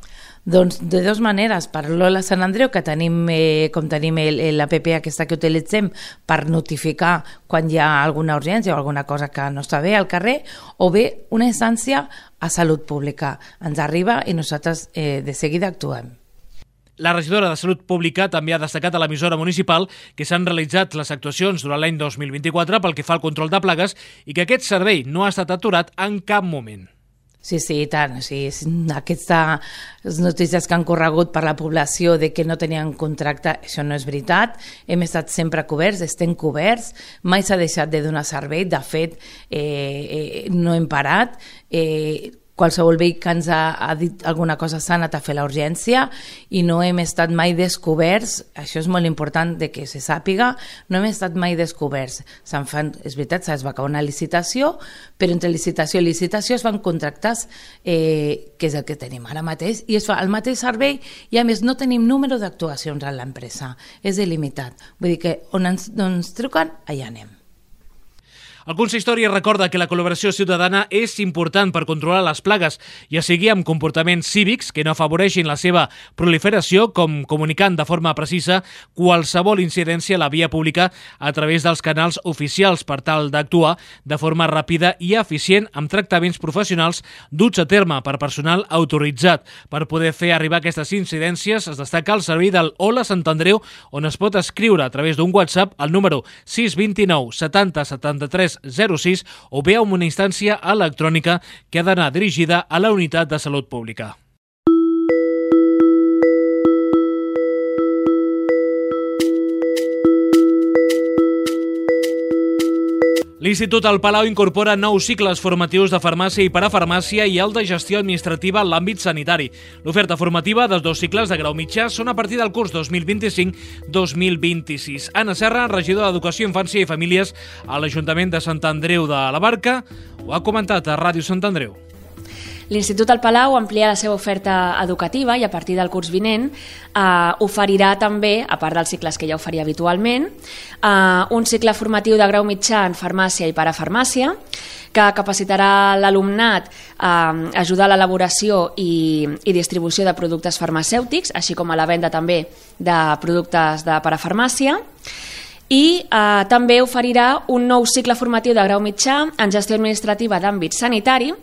Doncs de dues maneres, per l'Ola Sant Andreu, que tenim, eh, com tenim l'app aquesta que utilitzem per notificar quan hi ha alguna urgència o alguna cosa que no està bé al carrer, o bé una instància a Salut Pública. Ens arriba i nosaltres eh, de seguida actuem. La regidora de Salut Pública també ha destacat a l'emissora municipal que s'han realitzat les actuacions durant l'any dos mil vint-i-quatre pel que fa al control de plagues i que aquest servei no ha estat aturat en cap moment. Sí, sí, i tant. Sí, aquestes notícies que han corregut per la població de que no tenien contracte, això no és veritat. Hem estat sempre coberts, estem coberts, mai s'ha deixat de donar servei. De fet, eh, eh, no hem parat. Eh, Qualsevol veí que ens ha, ha dit alguna cosa s'ha anat a fer la urgència i no hem estat mai descoberts, això és molt important de que se sàpiga, no hem estat mai descoberts. Se'n fan, és veritat, es va acabar una licitació, però entre licitació i licitació es fan contractes, eh, que és el que tenim ara mateix, i es fa el mateix servei i a més no tenim número d'actuacions a l'empresa, és il·limitat. Vull dir que on ens, on ens truquen, allà anem. El consistori recorda que la col·laboració ciutadana és important per controlar les plagues, ja sigui amb comportaments cívics que no afavoreixin la seva proliferació, com comunicant de forma precisa qualsevol incidència a la via pública a través dels canals oficials per tal d'actuar de forma ràpida i eficient amb tractaments professionals duts a terme per personal autoritzat. Per poder fer arribar aquestes incidències es destaca el servei del Hola Sant Andreu, on es pot escriure a través d'un WhatsApp al número sis dos nou setanta setanta-tres zero sis o bé amb una instància electrònica que ha d'anar dirigida a la Unitat de Salut Pública. L'Institut El Palau incorpora nous cicles formatius de farmàcia i parafarmàcia i el de gestió administrativa en l'àmbit sanitari. L'oferta formativa dels dos cicles de grau mitjà són a partir del curs dos mil vint-i-cinc dos mil vint-i-sis. Anna Serra, regidora d'Educació, Infància i Famílies a l'Ajuntament de Sant Andreu de la Barca, ho ha comentat a Ràdio Sant Andreu. L'Institut El Palau amplia la seva oferta educativa i a partir del curs vinent eh, oferirà també, a part dels cicles que ja oferia habitualment, eh, un cicle formatiu de grau mitjà en farmàcia i parafarmàcia que capacitarà l'alumnat a ajudar a l'elaboració i, i distribució de productes farmacèutics, així com a la venda també de productes de parafarmàcia. I eh, també oferirà un nou cicle formatiu de grau mitjà en gestió administrativa d'àmbit sanitari,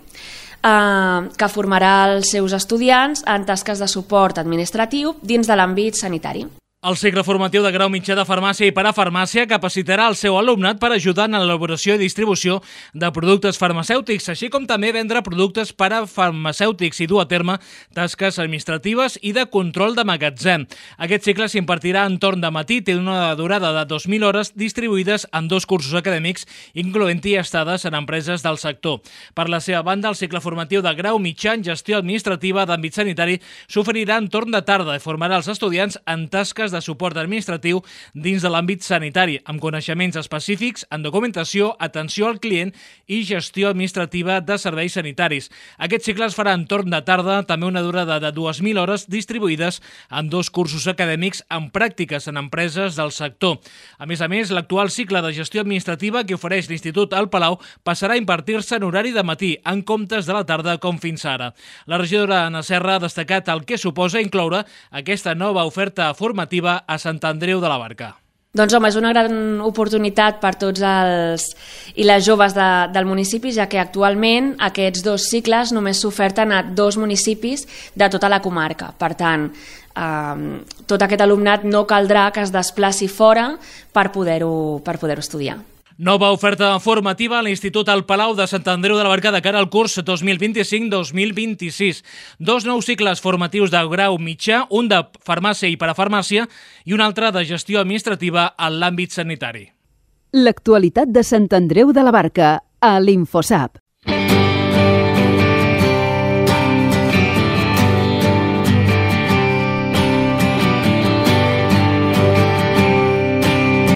eh, que formarà els seus estudiants en tasques de suport administratiu dins de l'àmbit sanitari. El cicle formatiu de grau mitjà de farmàcia i parafarmàcia capacitarà el seu alumnat per ajudar en l'elaboració i distribució de productes farmacèutics, així com també vendre productes parafarmacèutics i dur a terme tasques administratives i de control de magatzem. Aquest cicle s'impartirà en torn de matí, té una durada de dos mil hores distribuïdes en dos cursos acadèmics, incloent-hi estades en empreses del sector. Per la seva banda, el cicle formatiu de grau mitjà en gestió administrativa d'àmbit sanitari s'oferirà en torn de tarda i formarà els estudiants en tasques de suport administratiu dins de l'àmbit sanitari, amb coneixements específics en documentació, atenció al client i gestió administrativa de serveis sanitaris. Aquest cicle es farà en torn de tarda, també una durada de dues mil hores distribuïdes en dos cursos acadèmics amb pràctiques en empreses del sector. A més a més, l'actual cicle de gestió administrativa que ofereix l'Institut al Palau passarà a impartir-se en horari de matí, en comptes de la tarda com fins ara. La regidora Anna Serra ha destacat el que suposa incloure aquesta nova oferta formativa a Sant Andreu de la Barca. Doncs home, és una gran oportunitat per tots els i les joves de, del municipi, ja que actualment aquests dos cicles només s'oferten a dos municipis de tota la comarca. Per tant, eh, tot aquest alumnat no caldrà que es desplaci fora per poder-ho per poder-ho estudiar. Nova oferta formativa a l'Institut al Palau de Sant Andreu de la Barca de cara al curs dos mil vint-i-cinc dos mil vint-i-sis. Dos nous cicles formatius de grau mitjà, un de farmàcia i parafarmàcia i un altre de gestió administrativa en l'àmbit sanitari. L'actualitat de Sant Andreu de la Barca a l'Infosap.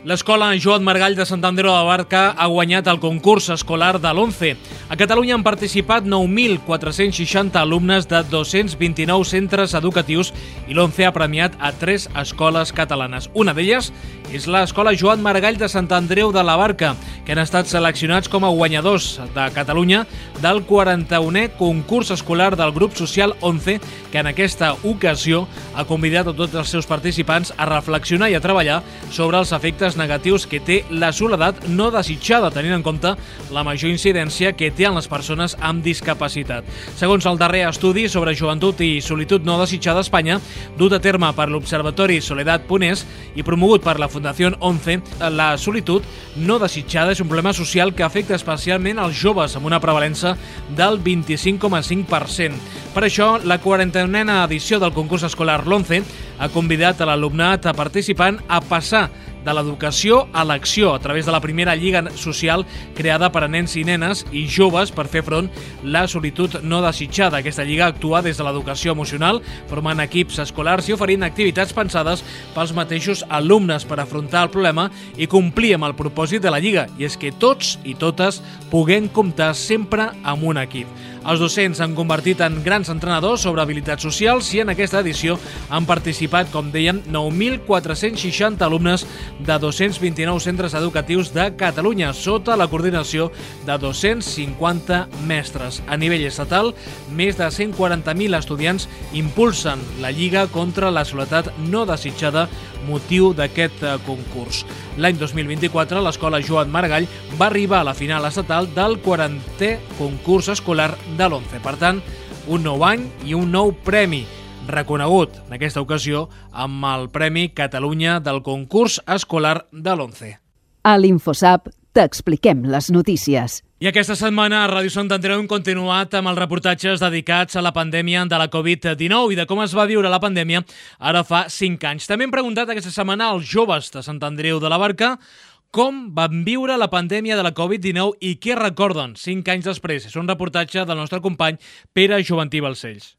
L'escola Joan Margall de Sant Andreu de la Barca ha guanyat el concurs escolar de l'ONCE. A Catalunya han participat nou mil quatre-cents seixanta alumnes de dos-cents vint-i-nou centres educatius i l'ONCE ha premiat a tres escoles catalanes. Una d'elles és l'Escola Joan Margall de Sant Andreu de la Barca, que han estat seleccionats com a guanyadors de Catalunya del quaranta-unè concurs escolar del grup social ONCE, que en aquesta ocasió ha convidat a tots els seus participants a reflexionar i a treballar sobre els efectes negatius que té la soledat no desitjada, tenint en compte la major incidència que té en les persones amb discapacitat. Segons el darrer estudi sobre joventut i solitud no desitjada a Espanya, dut a terme per l'Observatori Soledat punt es i promogut per la Fundació ONCE, la solitud no desitjada és un problema social que afecta especialment als joves, amb una prevalença del vint-i-cinc coma cinc per cent. Per això, la quaranta-unena edició del concurs escolar l'ONCE ha convidat a l'alumnat participant a passar de l'educació a l'acció a través de la primera lliga social creada per a nens i nenes i joves per fer front a la solitud no desitjada. Aquesta lliga actua des de l'educació emocional, formant equips escolars i oferint activitats pensades pels mateixos alumnes per afrontar el problema i complir amb el propòsit de la lliga, i és que tots i totes puguem comptar sempre amb un equip. Els docents s'han convertit en grans entrenadors sobre habilitats socials i en aquesta edició han participat, com dèiem, nou mil quatre-cents seixanta alumnes de dos-cents vint-i-nou centres educatius de Catalunya, sota la coordinació de dos-cents cinquanta mestres. A nivell estatal, més de cent quaranta mil estudiants impulsen la Lliga contra la soledat no desitjada, motiu d'aquest concurs. L'any dos mil vint-i-quatre, l'escola Joan Margall va arribar a la final estatal del quarantè concurs escolar de l'ONCE. Per tant, un nou any i un nou premi, reconegut en aquesta ocasió amb el Premi Catalunya del concurs escolar de l'ONCE. A l'Infosap t'expliquem les notícies. I aquesta setmana a Ràdio Sant Andreu hem continuat amb els reportatges dedicats a la pandèmia de la covid dinou i de com es va viure la pandèmia ara fa cinc anys. També hem preguntat aquesta setmana als joves de Sant Andreu de la Barca com van viure la pandèmia de la covid dinou i què recorden cinc anys després. És un reportatge del nostre company Pere Joventí Balcells.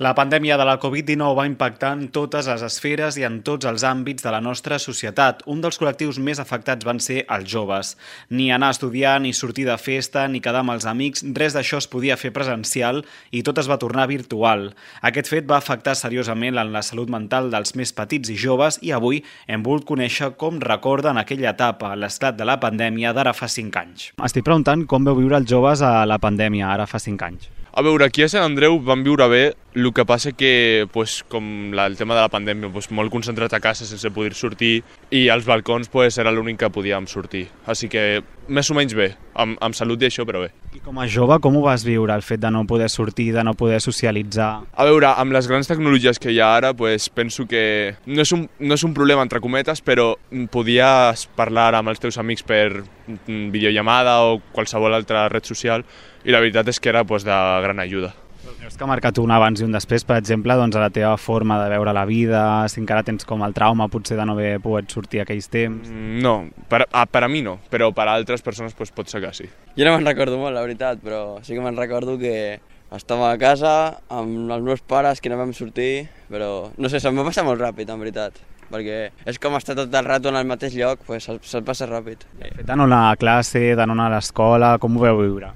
La pandèmia de la covid dinou va impactar en totes les esferes i en tots els àmbits de la nostra societat. Un dels col·lectius més afectats van ser els joves. Ni anar a estudiar, ni sortir de festa, ni quedar amb els amics, res d'això es podia fer presencial i tot es va tornar virtual. Aquest fet va afectar seriosament en la salut mental dels més petits i joves i avui hem volgut conèixer com recorden aquella etapa, l'esclat de la pandèmia d'ara fa cinc anys. Estic preguntant com veu viure els joves a la pandèmia ara fa cinc anys. A veure, aquí a Sant Andreu vam viure bé, el que passa que, pues, com la, el tema de la pandèmia, pues, molt concentrat a casa sense poder sortir i als balcons pues, era l'únic que podíem sortir. Així que més o menys bé, amb, amb salut i això, però bé. I com a jove, com ho vas viure, el fet de no poder sortir, de no poder socialitzar? A veure, amb les grans tecnologies que hi ha ara, pues, penso que no és, un, no és un problema, entre cometes, però podies parlar amb els teus amics per videollamada o qualsevol altra red social i la veritat és que era pues, de gran ajuda. Creus que ha marcat un abans i un després, per exemple, doncs, a la teva forma de veure la vida, si encara tens com el trauma potser de no haver pogut sortir aquells temps? No, per a, per a mi no, però per a altres persones pues, pot ser que sí. Jo no me'n recordo molt, la veritat, però sí que me'n recordo que estava a casa amb els meus pares que no vam sortir, però no sé, se'm va passar molt ràpid, en veritat, perquè és com estar tot el rato en el mateix lloc, pues, se'l se passa ràpid. El fet de no anar a classe, de no anar a l'escola, com ho veu viure?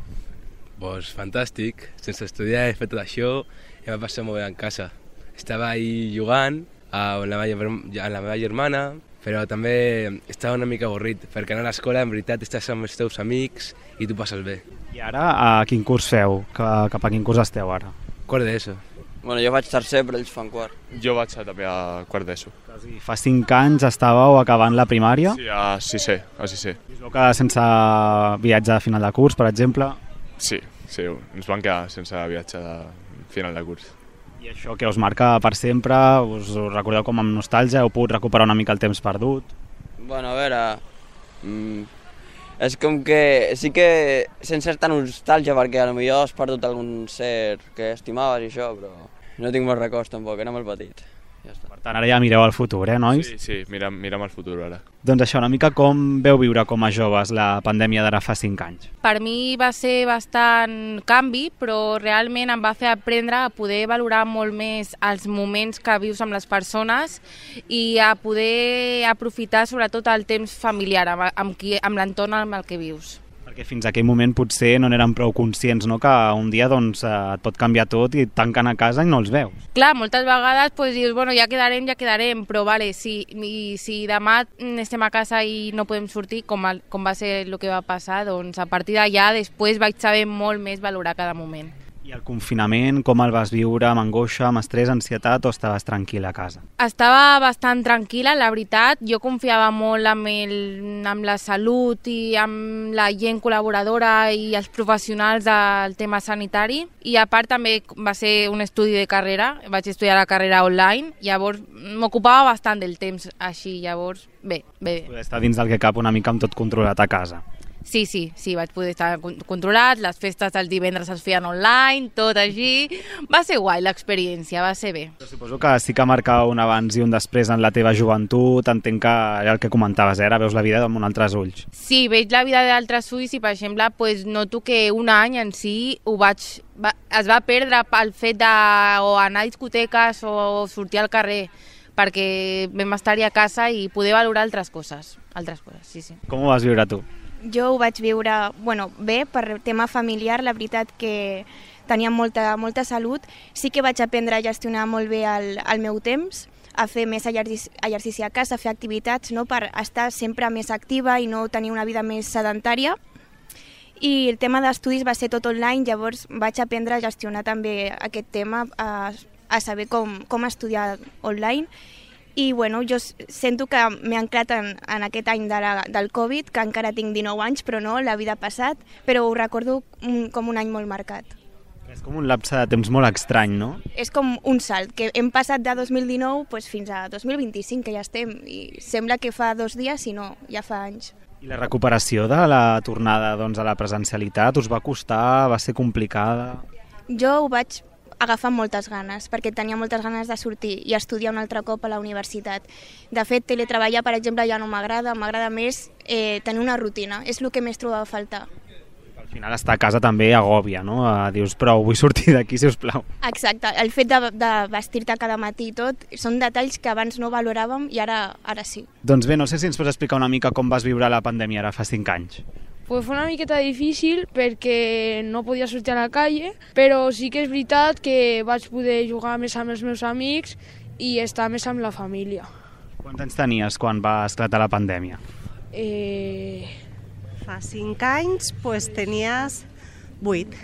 Pues fantàstic, sense estudiar he fet tot això i em va passar molt bé en casa. Estava ahí jugant amb la meva, amb la meva germana, però també estava una mica avorrit, perquè anar a l'escola en veritat estàs amb els teus amics i tu passes bé. I ara a quin curs feu? Cap a quin curs esteu ara? Quart d'ESO. Bueno, jo vaig tercer, però ells fan quart. Jo vaig també a quart d'ESO. Fa cinc anys estàveu acabant la primària? Sí, a sisè, a sisè. Us vau quedar sense viatge a final de curs, per exemple? Sí, sí, ens vam quedar sense viatge de final de curs. I això que us marca per sempre? Us ho recordeu com amb nostàlgia? Heu pogut recuperar una mica el temps perdut? Bueno, a veure... Mm, és com que... Sí que sense certa nostàlgia, perquè potser has perdut algun ser que estimaves i això, però no tinc molts records tampoc, era molt petit. Ja està. Per tant, ara ja mireu al futur, eh, nois? Sí, sí, mirem, mirem al futur ara. Doncs això, una mica com veu viure com a joves la pandèmia d'ara fa cinc anys? Per mi va ser bastant canvi, però realment em va fer aprendre a poder valorar molt més els moments que vius amb les persones i a poder aprofitar sobretot el temps familiar amb, amb, qui, amb l'entorn amb el que vius. Perquè fins a aquell moment potser no n'érem prou conscients, no? Que un dia doncs, et pot canviar tot i et tanquen a casa i no els veus. Clar, moltes vegades pues, dius, bueno, ja quedarem, ja quedarem, però vale, si, i, si demà estem a casa i no podem sortir, com, el, com va ser el que va passar, doncs a partir d'allà després vaig saber molt més valorar cada moment. I el confinament, com el vas viure? Amb angoixa, amb estrès, ansietat o estaves tranquil·la a casa? Estava bastant tranquil·la, la veritat. Jo confiava molt amb, el, amb la salut i amb la gent col·laboradora i els professionals del tema sanitari. I a part també va ser un estudi de carrera, vaig estudiar la carrera online, llavors m'ocupava bastant del temps així, llavors bé, bé. Poder estar dins del que cap una mica amb tot controlat a casa. Sí, sí, sí, vaig poder estar controlat, les festes dels divendres es feien online, tot així. Va ser guai l'experiència, va ser bé. Però suposo que sí que marcava un abans i un després en la teva joventut, entenc que era el que comentaves, eh? Ara veus la vida amb uns altres ulls. Sí, veig la vida d'altres ulls i, per exemple, pues, noto que un any en si ho vaig, va, es va perdre pel fet de o anar a discoteques o sortir al carrer, perquè vam estar-hi a casa i poder valorar altres coses, altres coses, sí, sí. Com ho vas viure tu? Jo ho vaig viure bueno, bé, per tema familiar, la veritat que tenia molta, molta salut. Sí que vaig aprendre a gestionar molt bé el, el meu temps, a fer més exercici a casa, a fer activitats, no? Per estar sempre més activa i no tenir una vida més sedentària. I el tema d'estudis va ser tot online, llavors vaig aprendre a gestionar també aquest tema, a, a saber com, com estudiar online. I bueno, jo sento que m'he anclat en, en aquest any de la, del Covid, que encara tinc dinou anys, però no, la vida ha passat, però ho recordo un, com un any molt marcat. És com un lapse de temps molt estrany, no? És com un salt, que hem passat de dos mil dinou pues, fins a dos mil vint-i-cinc, que ja estem, i sembla que fa dos dies, si no, ja fa anys. I la recuperació de la tornada doncs, a la presencialitat us va costar, va ser complicada? Jo ho vaig agafar moltes ganes, perquè tenia moltes ganes de sortir i estudiar un altre cop a la universitat. De fet, teletreballar, per exemple, ja no m'agrada, m'agrada més eh, tenir una rutina, és el que més trobava a faltar. Al final estar a casa també agòbia, no? Dius, prou, vull sortir d'aquí, si us plau. Exacte, el fet de, de vestir-te cada matí i tot, són detalls que abans no valoràvem i ara, ara sí. Doncs bé, no sé si ens pots explicar una mica com vas viure la pandèmia ara fa cinc anys. Pues fue una miqueta difícil perquè no podia sortir a la calle, però sí que és veritat que vaig poder jugar més amb els meus amics i estar més amb la família. Quants anys tenies quan va esclatar la pandèmia? Eh... Fa cinc anys pues, tenies vuit.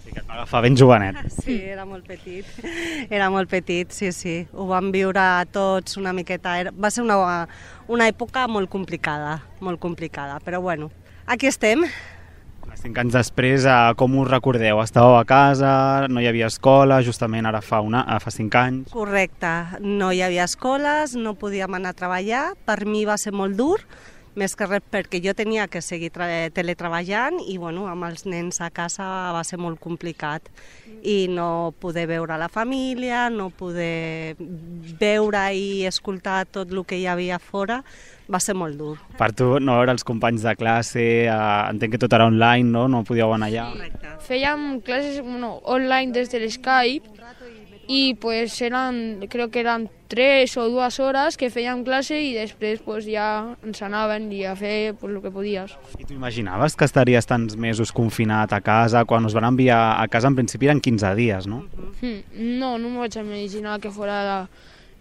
Sí, que et va agafar ben jovenet. Sí, era molt petit, era molt petit, sí, sí. Ho vam viure tots una miqueta. Era, va ser una, una època molt complicada, molt complicada, però bueno, aquí estem. Cinc anys després, com us recordeu? Estàveu a casa, no hi havia escola, justament ara fa, una, fa cinc anys. Correcte, no hi havia escoles, no podíem anar a treballar, per mi va ser molt dur, més que res perquè jo tenia que seguir teletreballant i bueno, amb els nens a casa va ser molt complicat i no poder veure la família, no poder veure i escoltar tot el que hi havia fora, va ser molt dur. Per tu, no veure els companys de classe, eh, entenc que tot era online, no? No podíeu anar allà. Correcte. Fèiem classes bueno, online des de l'Skype y pues eran, creo que eran tres o dues hores que fèiem classe i després pues, ja ens anaven i a fer pues, el que podies. I tu imaginaves que estaries tants mesos confinat a casa? Quan us van enviar a casa en principi eren quinze dies, no? Mm, no, no m'ho vaig imaginar que fora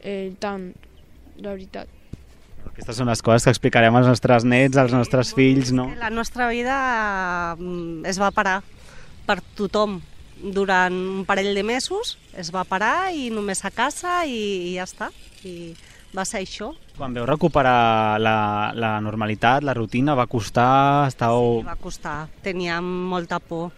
eh, tant, la veritat. Aquestes són les coses que explicarem als nostres nets, als nostres fills, no? La nostra vida es va parar per tothom. Durant un parell de mesos es va parar i només a casa i, i ja està. I va ser això. Quan veu recuperar la, la normalitat, la rutina, va costar? Estàveu... Sí, va costar. Teníem molta por.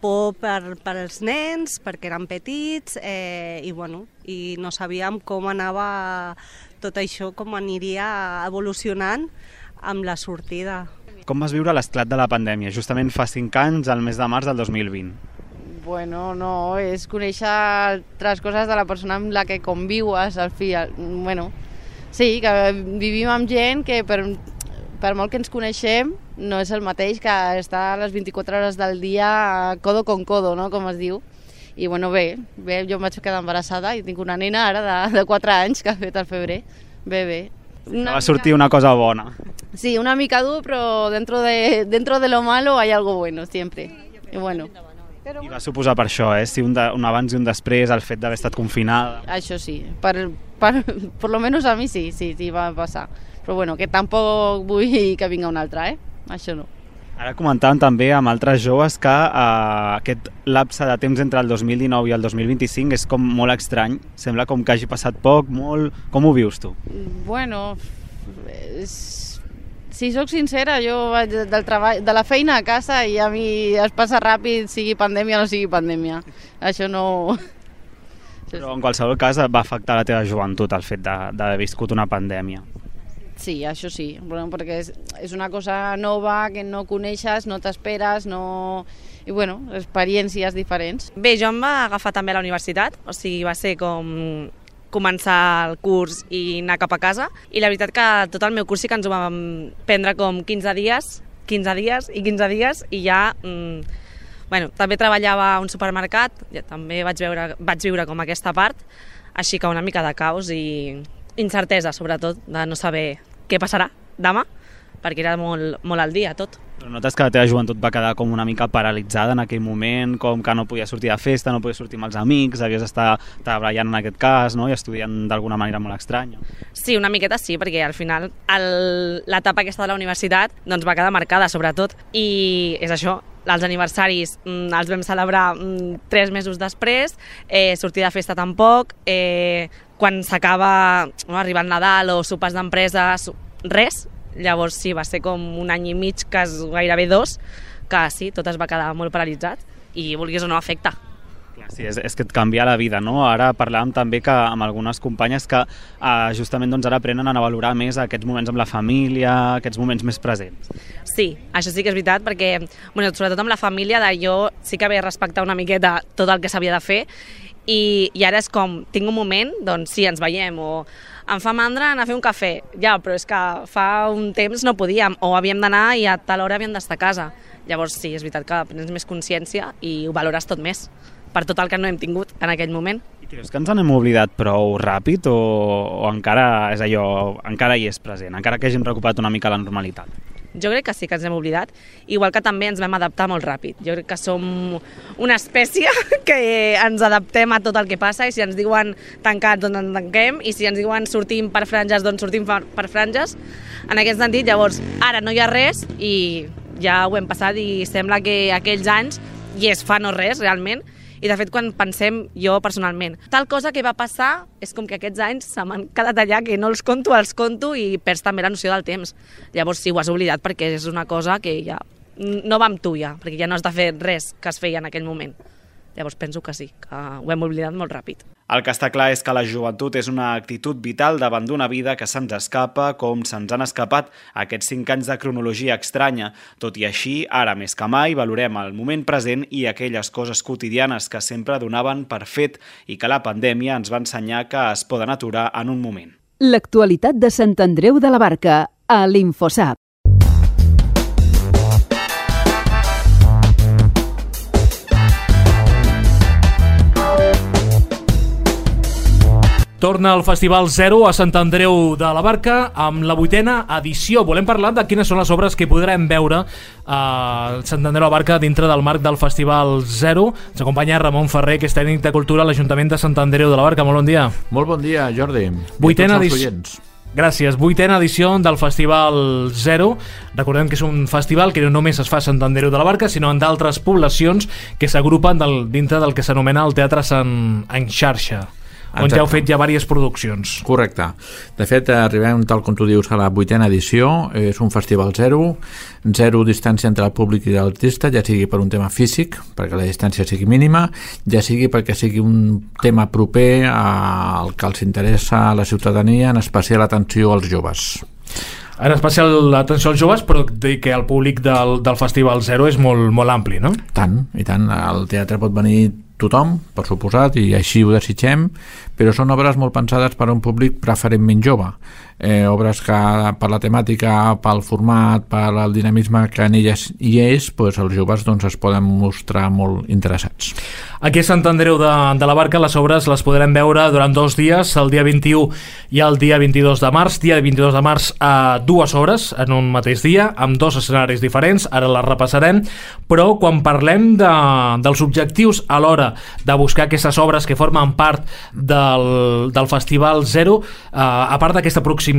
Por per, per als nens, perquè eren petits, eh, i, bueno, i no sabíem com anava tot això, com aniria evolucionant amb la sortida. Com vas viure l'esclat de la pandèmia? Justament fa cinc anys, al mes de març del dos mil vint. Bueno, no, és conèixer altres coses de la persona amb la que conviues, al fi. Bueno, sí, que vivim amb gent que per, per molt que ens coneixem no és el mateix que estar a les vint-i-quatre hores del dia codo con codo, no?, com es diu. I bueno, bé, bé, jo em vaig quedar embarassada i tinc una nena ara de, de quatre anys que ha fet al febrer. Bé, bé. Una va sortir una cosa bona. Sí, una mica dur, però dentro de, dentro de lo malo hay algo bueno, siempre. I bueno. I va suposar per això, eh? Si un, de, un abans i un després, el fet d'haver estat confinada. Això sí, per, per, per lo menos a mi sí, sí, sí, va passar. Però bueno, que tampoc vull que vinga un altre, eh? Això no. Ara comentàvem també amb altres joves que eh, aquest lapse de temps entre el dos mil dinou i el dos mil vint-i-cinc és com molt estrany. Sembla com que hagi passat poc, molt... Com ho vius tu? Bueno, és... si sóc sincera, jo vaig del treball, de la feina a casa i a mi es passa ràpid, sigui pandèmia o no sigui pandèmia. Això no... Però en qualsevol cas va afectar la teva joventut el fet d'haver viscut una pandèmia. Sí, això sí, bueno, perquè és, és una cosa nova que no coneixes, no t'esperes, no... i bueno, experiències diferents. Bé, jo em va agafar també a la universitat, o sigui, va ser com començar el curs i anar cap a casa, i la veritat que tot el meu curs sí que ens ho vam prendre com quinze dies, quinze dies i quinze dies, i ja... Mmm, bueno, també treballava a un supermercat, ja també vaig, veure, vaig viure com aquesta part, així que una mica de caos i incertesa, sobretot, de no saber què passarà demà, perquè era molt, molt al dia tot. Però notes que la teva joventut va quedar com una mica paralitzada en aquell moment, com que no podies sortir de festa, no podies sortir amb els amics, havies d'estar treballant en aquest cas, no?, i estudiant d'alguna manera molt estranya. Sí, una miqueta sí, perquè al final l'etapa aquesta de la universitat doncs, va quedar marcada, sobretot, i és això, els aniversaris mm, els vam celebrar mm, tres mesos després, eh, sortir de festa tampoc, eh, quan s'acaba, no, arriba el Nadal o sopars d'empresa, res. Llavors sí, va ser com un any i mig, que és gairebé dos, que sí, tot es va quedar molt paralitzat i vulguis o no afecta. Sí, és, és que et canvia la vida, no? Ara parlàvem també que amb algunes companyes que eh, justament doncs, ara aprenen a valorar més aquests moments amb la família, aquests moments més presents. Sí, això sí que és veritat, perquè bueno, sobretot amb la família, de jo sí que havia de respectar una miqueta tot el que s'havia de fer, i, i ara és com, tinc un moment, doncs sí, ens veiem, o em fa mandra anar a fer un cafè, ja, però és que fa un temps no podíem, o havíem d'anar i a tal hora havíem d'estar a casa. Llavors sí, és veritat que prens més consciència i ho valores tot més, per tot el que no hem tingut en aquell moment. I creus que ens n'hem oblidat prou ràpid o, o encara és allò, encara hi és present, encara que hàgim recuperat una mica la normalitat? Jo crec que sí que ens hem oblidat, igual que també ens vam adaptar molt ràpid. Jo crec que som una espècie que ens adaptem a tot el que passa, i si ens diuen tancats, doncs ens tanquem, i si ens diuen sortim per franges, doncs sortim per franges. En aquest sentit, llavors, ara no hi ha res i ja ho hem passat, i sembla que aquells anys i és fa no res, realment. I de fet, quan pensem, jo personalment, tal cosa que va passar és com que aquests anys se m'han quedat allà, que no els conto, els conto i perds també la noció del temps. Llavors sí, ho has oblidat perquè és una cosa que ja no va amb tu ja, perquè ja no has de fer res que es feia en aquell moment. Llavors penso que sí, que ho hem oblidat molt ràpid. El que està clar és que la joventut és una actitud vital davant d'una vida que se'ns escapa com se'ns han escapat aquests cinc anys de cronologia estranya. Tot i així, ara més que mai valorem el moment present i aquelles coses quotidianes que sempre donaven per fet i que la pandèmia ens va ensenyar que es poden aturar en un moment. L'actualitat de Sant Andreu de la Barca, a l'Infosap. Torna el Festival Zero a Sant Andreu de la Barca amb la vuitena edició. Volem parlar de quines són les obres que podrem veure a Sant Andreu de la Barca dintre del marc del Festival Zero. Ens acompanya Ramon Ferrer, que és tècnic de cultura a l'Ajuntament de Sant Andreu de la Barca. Molt bon dia. Molt bon dia, Jordi. Vuitena edició. Gràcies. Vuitena edició del Festival Zero. Recordem que és un festival que no només es fa a Sant Andreu de la Barca, sinó en d'altres poblacions que s'agrupen dintre del que s'anomena el Teatre Sant en Xarxa. On Exacte. Ja heu fet ja diverses produccions. Correcte. De fet, arribem, tal com tu dius, a la vuitena edició. És un festival zero, zero distància entre el públic i l'artista, ja sigui per un tema físic, perquè la distància sigui mínima, ja sigui perquè sigui un tema proper al que els interessa a la ciutadania, en especial atenció als joves. En especial l'atenció als joves, però que el públic del, del Festival Zero és molt, molt ampli, no? Tant, i tant. Al teatre pot venir tothom, per suposat, i així ho desitgem, però són obres molt pensades per a un públic preferentment jove. Eh, obres que per la temàtica, pel format, per el dinamisme que en elles hi és, doncs els joves doncs, es poden mostrar molt interessats. Aquí a Sant Andreu de, de la Barca les obres les podrem veure durant dos dies, el dia vint-i-u i el dia vint-i-dos de març. Dia vint-i-dos de març a dues hores en un mateix dia, amb dos escenaris diferents, ara les repassarem, però quan parlem de, dels objectius a l'hora de buscar aquestes obres que formen part del, del Festival Zero, eh, a part d'aquesta proximitat,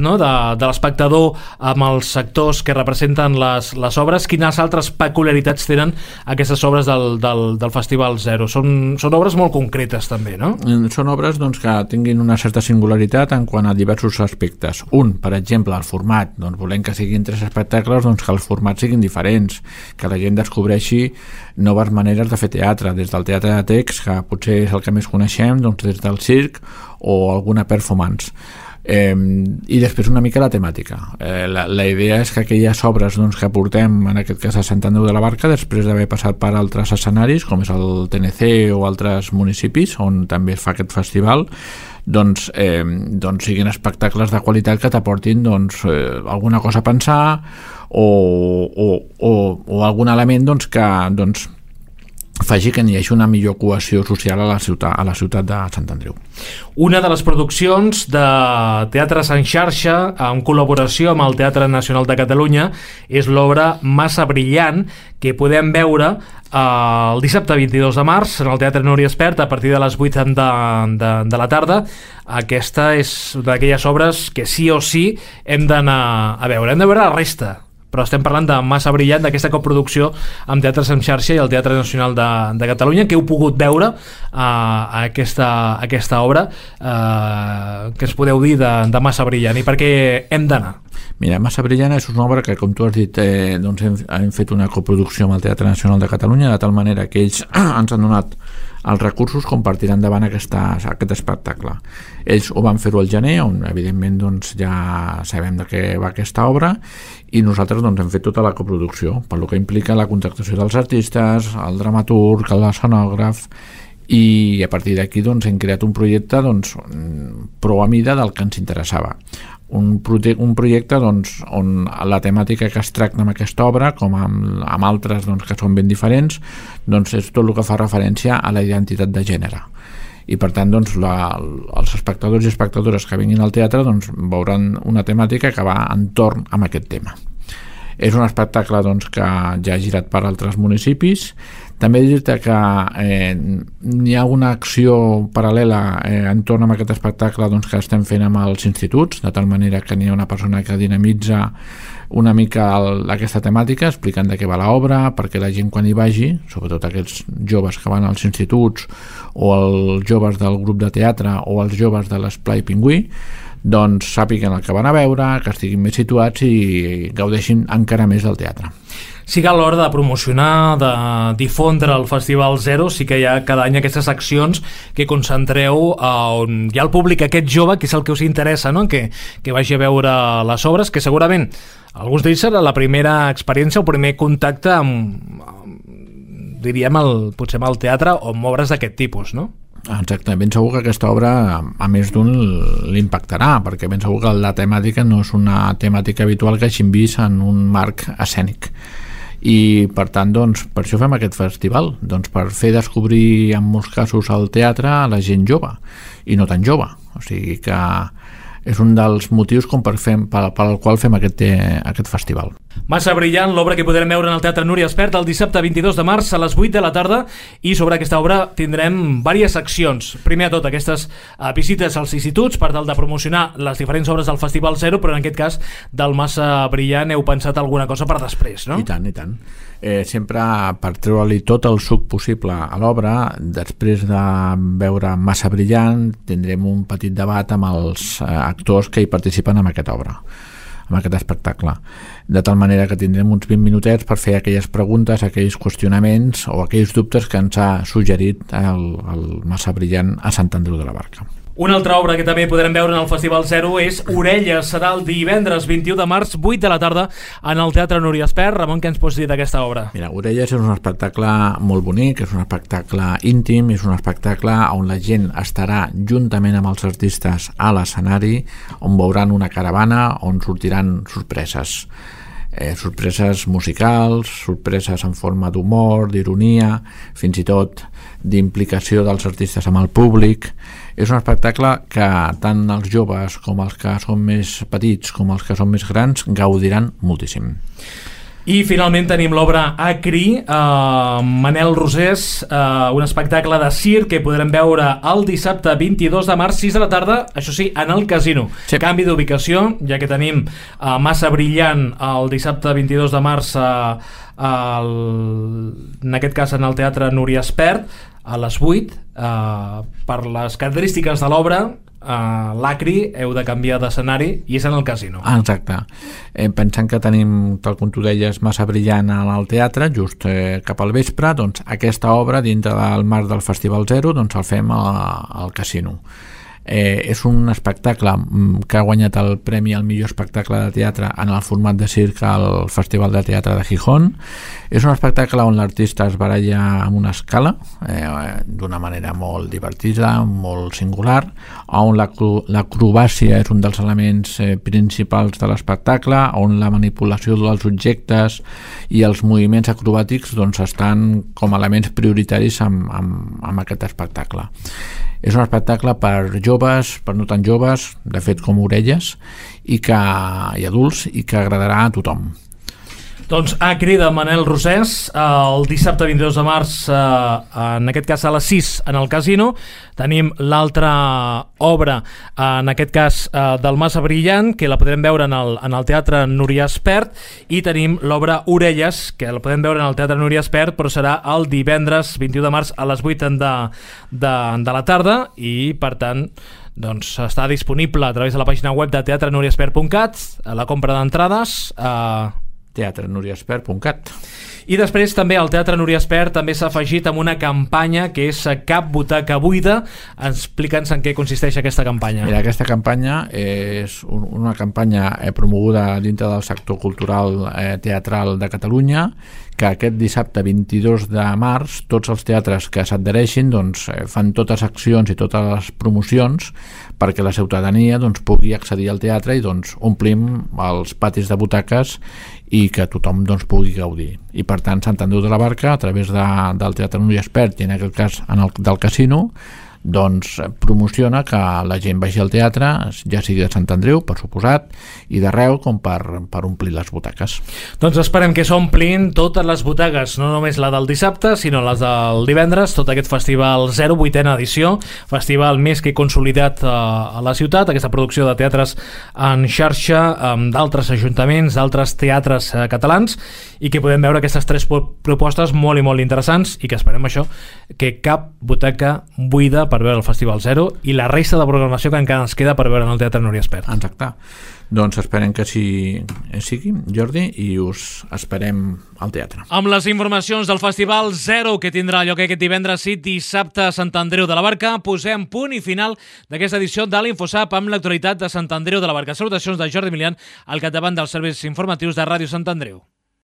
no, de, de l'espectador amb els sectors que representen les, les obres, quines altres peculiaritats tenen aquestes obres del, del, del Festival Zero? Són, són obres molt concretes també, no? Són obres doncs, que tinguin una certa singularitat en quant a diversos aspectes. Un, per exemple, el format. Doncs volem que siguin tres espectacles, doncs que els formats siguin diferents, que la gent descobreixi noves maneres de fer teatre, des del teatre de text, que potser és el que més coneixem, doncs des del circ o alguna performance. Eh, i després una mica la temàtica. Eh, la, la idea és que aquelles obres doncs, que portem, en aquest cas a Sant Andreu de la Barca, després d'haver passat per altres escenaris, com és el T N C o altres municipis, on també es fa aquest festival, doncs, eh, doncs siguin espectacles de qualitat que t'aportin doncs, eh, alguna cosa a pensar o, o, o, o algun element doncs, que doncs, faci que hi hagi una millor cohesió social a la ciutat, a la ciutat de Sant Andreu. Una de les produccions de Teatres en Xarxa, en col·laboració amb el Teatre Nacional de Catalunya, és l'obra Massa Brillant, que podem veure eh, el dissabte vint-i-dos de març en el Teatre Núria Espert a partir de les vuit de, de, de la tarda. Aquesta és d'aquelles obres que sí o sí hem d'anar a veure. Hem de veure la resta, però estem parlant de Massa Brillant, d'aquesta coproducció amb Teatres en Xarxa i el Teatre Nacional de, de Catalunya, que heu pogut veure uh, aquesta, aquesta obra, uh, que es podeu dir de, de Massa Brillant, i per què hem d'anar? Mira, Massa Brillant és una obra que, com tu has dit, eh, doncs hem, hem fet una coproducció amb el Teatre Nacional de Catalunya, de tal manera que ells ens han donat els recursos com per tirar endavant aquesta, aquest espectacle. Ells ho van fer-ho al gener, on evidentment doncs, ja sabem de què va aquesta obra, i nosaltres doncs, hem fet tota la coproducció, per lo que implica la contractació dels artistes, el dramaturg, l'escenògraf, i a partir d'aquí doncs, hem creat un projecte doncs, prou a mida del que ens interessava. Un, proje un projecte doncs, on la temàtica que es tracta amb aquesta obra, com amb, amb altres doncs, que són ben diferents, doncs, és tot el que fa referència a la identitat de gènere. I per tant doncs, la, els espectadors i espectadores que vinguin al teatre doncs, veuran una temàtica que va entorn amb aquest tema. És un espectacle doncs, que ja ha girat per altres municipis. També dir-te que eh, hi ha una acció paral·lela eh, entorn amb aquest espectacle doncs, que estem fent amb els instituts, de tal manera que n'hi ha una persona que dinamitza una mica el, aquesta temàtica, explicant de què va l'obra, perquè la gent quan hi vagi, sobretot aquests joves que van als instituts o els joves del grup de teatre o els joves de l'Esplai Pingüí, doncs sàpiguen el que van a veure, que estiguin més situats i gaudeixin encara més del teatre. Sí que a l'hora de promocionar, de difondre el Festival Zero, sí que hi ha cada any aquestes accions que concentreu on hi ha el públic aquest jove, que és el que us interessa, no? que, que vagi a veure les obres, que segurament alguns d'ells serà la primera experiència, el primer contacte amb, amb diríem, el, potser amb el teatre o amb obres d'aquest tipus, no? Exacte, ben segur que aquesta obra a més d'un l'impactarà, perquè ben segur que la temàtica no és una temàtica habitual que hagin vist en un marc escènic, i per tant doncs, per això fem aquest festival, doncs, per fer descobrir en molts casos el teatre a la gent jove i no tan jove, o sigui que és un dels motius com per fem, pel, pel qual fem aquest, aquest festival. Massa brillant, l'obra que podrem veure en el Teatre Núria Espert el dissabte vint-i-dos de març a les vuit de la tarda, i sobre aquesta obra tindrem diverses seccions. Primer de tot, aquestes uh, visites als instituts per tal de promocionar les diferents obres del Festival Zero, però en aquest cas del Massa brillant heu pensat alguna cosa per després, no? I tant, i tant. Eh, sempre per treure-li tot el suc possible a l'obra, després de veure Massa brillant tindrem un petit debat amb els eh, actors que hi participen en aquesta obra, amb aquest espectacle, de tal manera que tindrem uns vint minutets per fer aquelles preguntes, aquells qüestionaments o aquells dubtes que ens ha suggerit el, el Massa brillant a Sant Andreu de la Barca. Una altra obra que també podrem veure en el Festival Zero és Orelles. Serà el divendres vint-i-u de març, vuit de la tarda, en el Teatre Núria Espert. Ramon, què ens pots dir d'aquesta obra? Mira, Orelles és un espectacle molt bonic, és un espectacle íntim, és un espectacle on la gent estarà juntament amb els artistes a l'escenari, on veuran una caravana, on sortiran sorpreses. Eh, sorpreses musicals, sorpreses en forma d'humor, d'ironia, fins i tot d'implicació dels artistes amb el públic. És un espectacle que tant els joves com els que són més petits com els que són més grans gaudiran moltíssim. I finalment tenim l'obra Acri, eh, Manel Rosés, eh, un espectacle de circ que podrem veure el dissabte vint-i-dos de març, sis de la tarda, això sí, en el Casino. Sí. Canvi d'ubicació, ja que tenim eh, Massa brillant el dissabte vint-i-dos de març, eh, el, en aquest cas en el Teatre Núria Espert, a les vuit, eh, per les característiques de l'obra, Uh, l'Acri heu de canviar d'escenari i és en el Casino. Ah, exacte. Eh, pensant que tenim, tal com tu deies, Massa brillant al teatre, just eh, cap al vespre, doncs aquesta obra dintre del marc del Festival Zero doncs el fem a, al Casino. Eh, és un espectacle que ha guanyat el premi al millor espectacle de teatre en el format de circ al Festival de Teatre de Gijón. És un espectacle on l'artista es baralla amb una escala eh, d'una manera molt divertida, molt singular, on l'acrobàcia és un dels elements eh, principals de l'espectacle, on la manipulació dels objectes i els moviments acrobàtics doncs, estan com a elements prioritaris amb, amb, amb aquest espectacle. És un espectacle per joves, per no tan joves, de fet com Orelles, i, que, i adults, i que agradarà a tothom. Doncs Acri de Manel Rosés, el dissabte vint-i-dos de març, en aquest cas a les sis en el Casino. Tenim l'altra obra, en aquest cas del Massa brillant, que la podrem veure en el, en el Teatre Núria Espert, i tenim l'obra Orelles, que la podem veure en el Teatre Núria Espert, però serà el divendres vint-i-u de març a les vuit de, de, de la tarda, i per tant doncs està disponible a través de la pàgina web de teatre núria espert punt cat, a la compra d'entrades a teatre núria espert punt cat. I després també el Teatre Núria Espert també s'ha afegit amb una campanya que és Cap butaca buida. Explica'ns en què consisteix aquesta campanya. Mira, aquesta campanya és una campanya promoguda dintre del sector cultural eh, teatral de Catalunya, que aquest dissabte vint-i-dos de març tots els teatres que s'adhereixin doncs, fan totes accions i totes les promocions perquè la ciutadania doncs, pugui accedir al teatre i doncs, omplim els patis de butaques i que tothom doncs, pugui gaudir. I per tant Sant Andreu de la Barca, a través de, del Teatre Núria Espert i en aquest cas en el, del Casino, doncs promociona que la gent vagi al teatre, ja sigui de Sant Andreu, per suposat, i d'arreu com per, per omplir les butaques. Doncs esperem que s'omplin totes les butaques, no només la del dissabte, sinó les del divendres, tot aquest festival zero, vuitena edició, festival més que consolidat a la ciutat, aquesta producció de teatres en xarxa amb d'altres ajuntaments, d'altres teatres catalans, i que podem veure aquestes tres propostes molt i molt interessants, i que esperem això, que cap butaca buida per veure el Festival Zero i la resta de programació que encara ens queda per veure en el Teatre Núria Espert. Exacte. Doncs esperem que així sigui, Jordi, i us esperem al teatre. Amb les informacions del Festival Zero, que tindrà lloc aquest divendres i dissabte a Sant Andreu de la Barca, posem punt i final d'aquesta edició de l'Infosap amb l'actualitat de Sant Andreu de la Barca. Salutacions de Jordi Milian al capdavant dels serveis informatius de Ràdio Sant Andreu.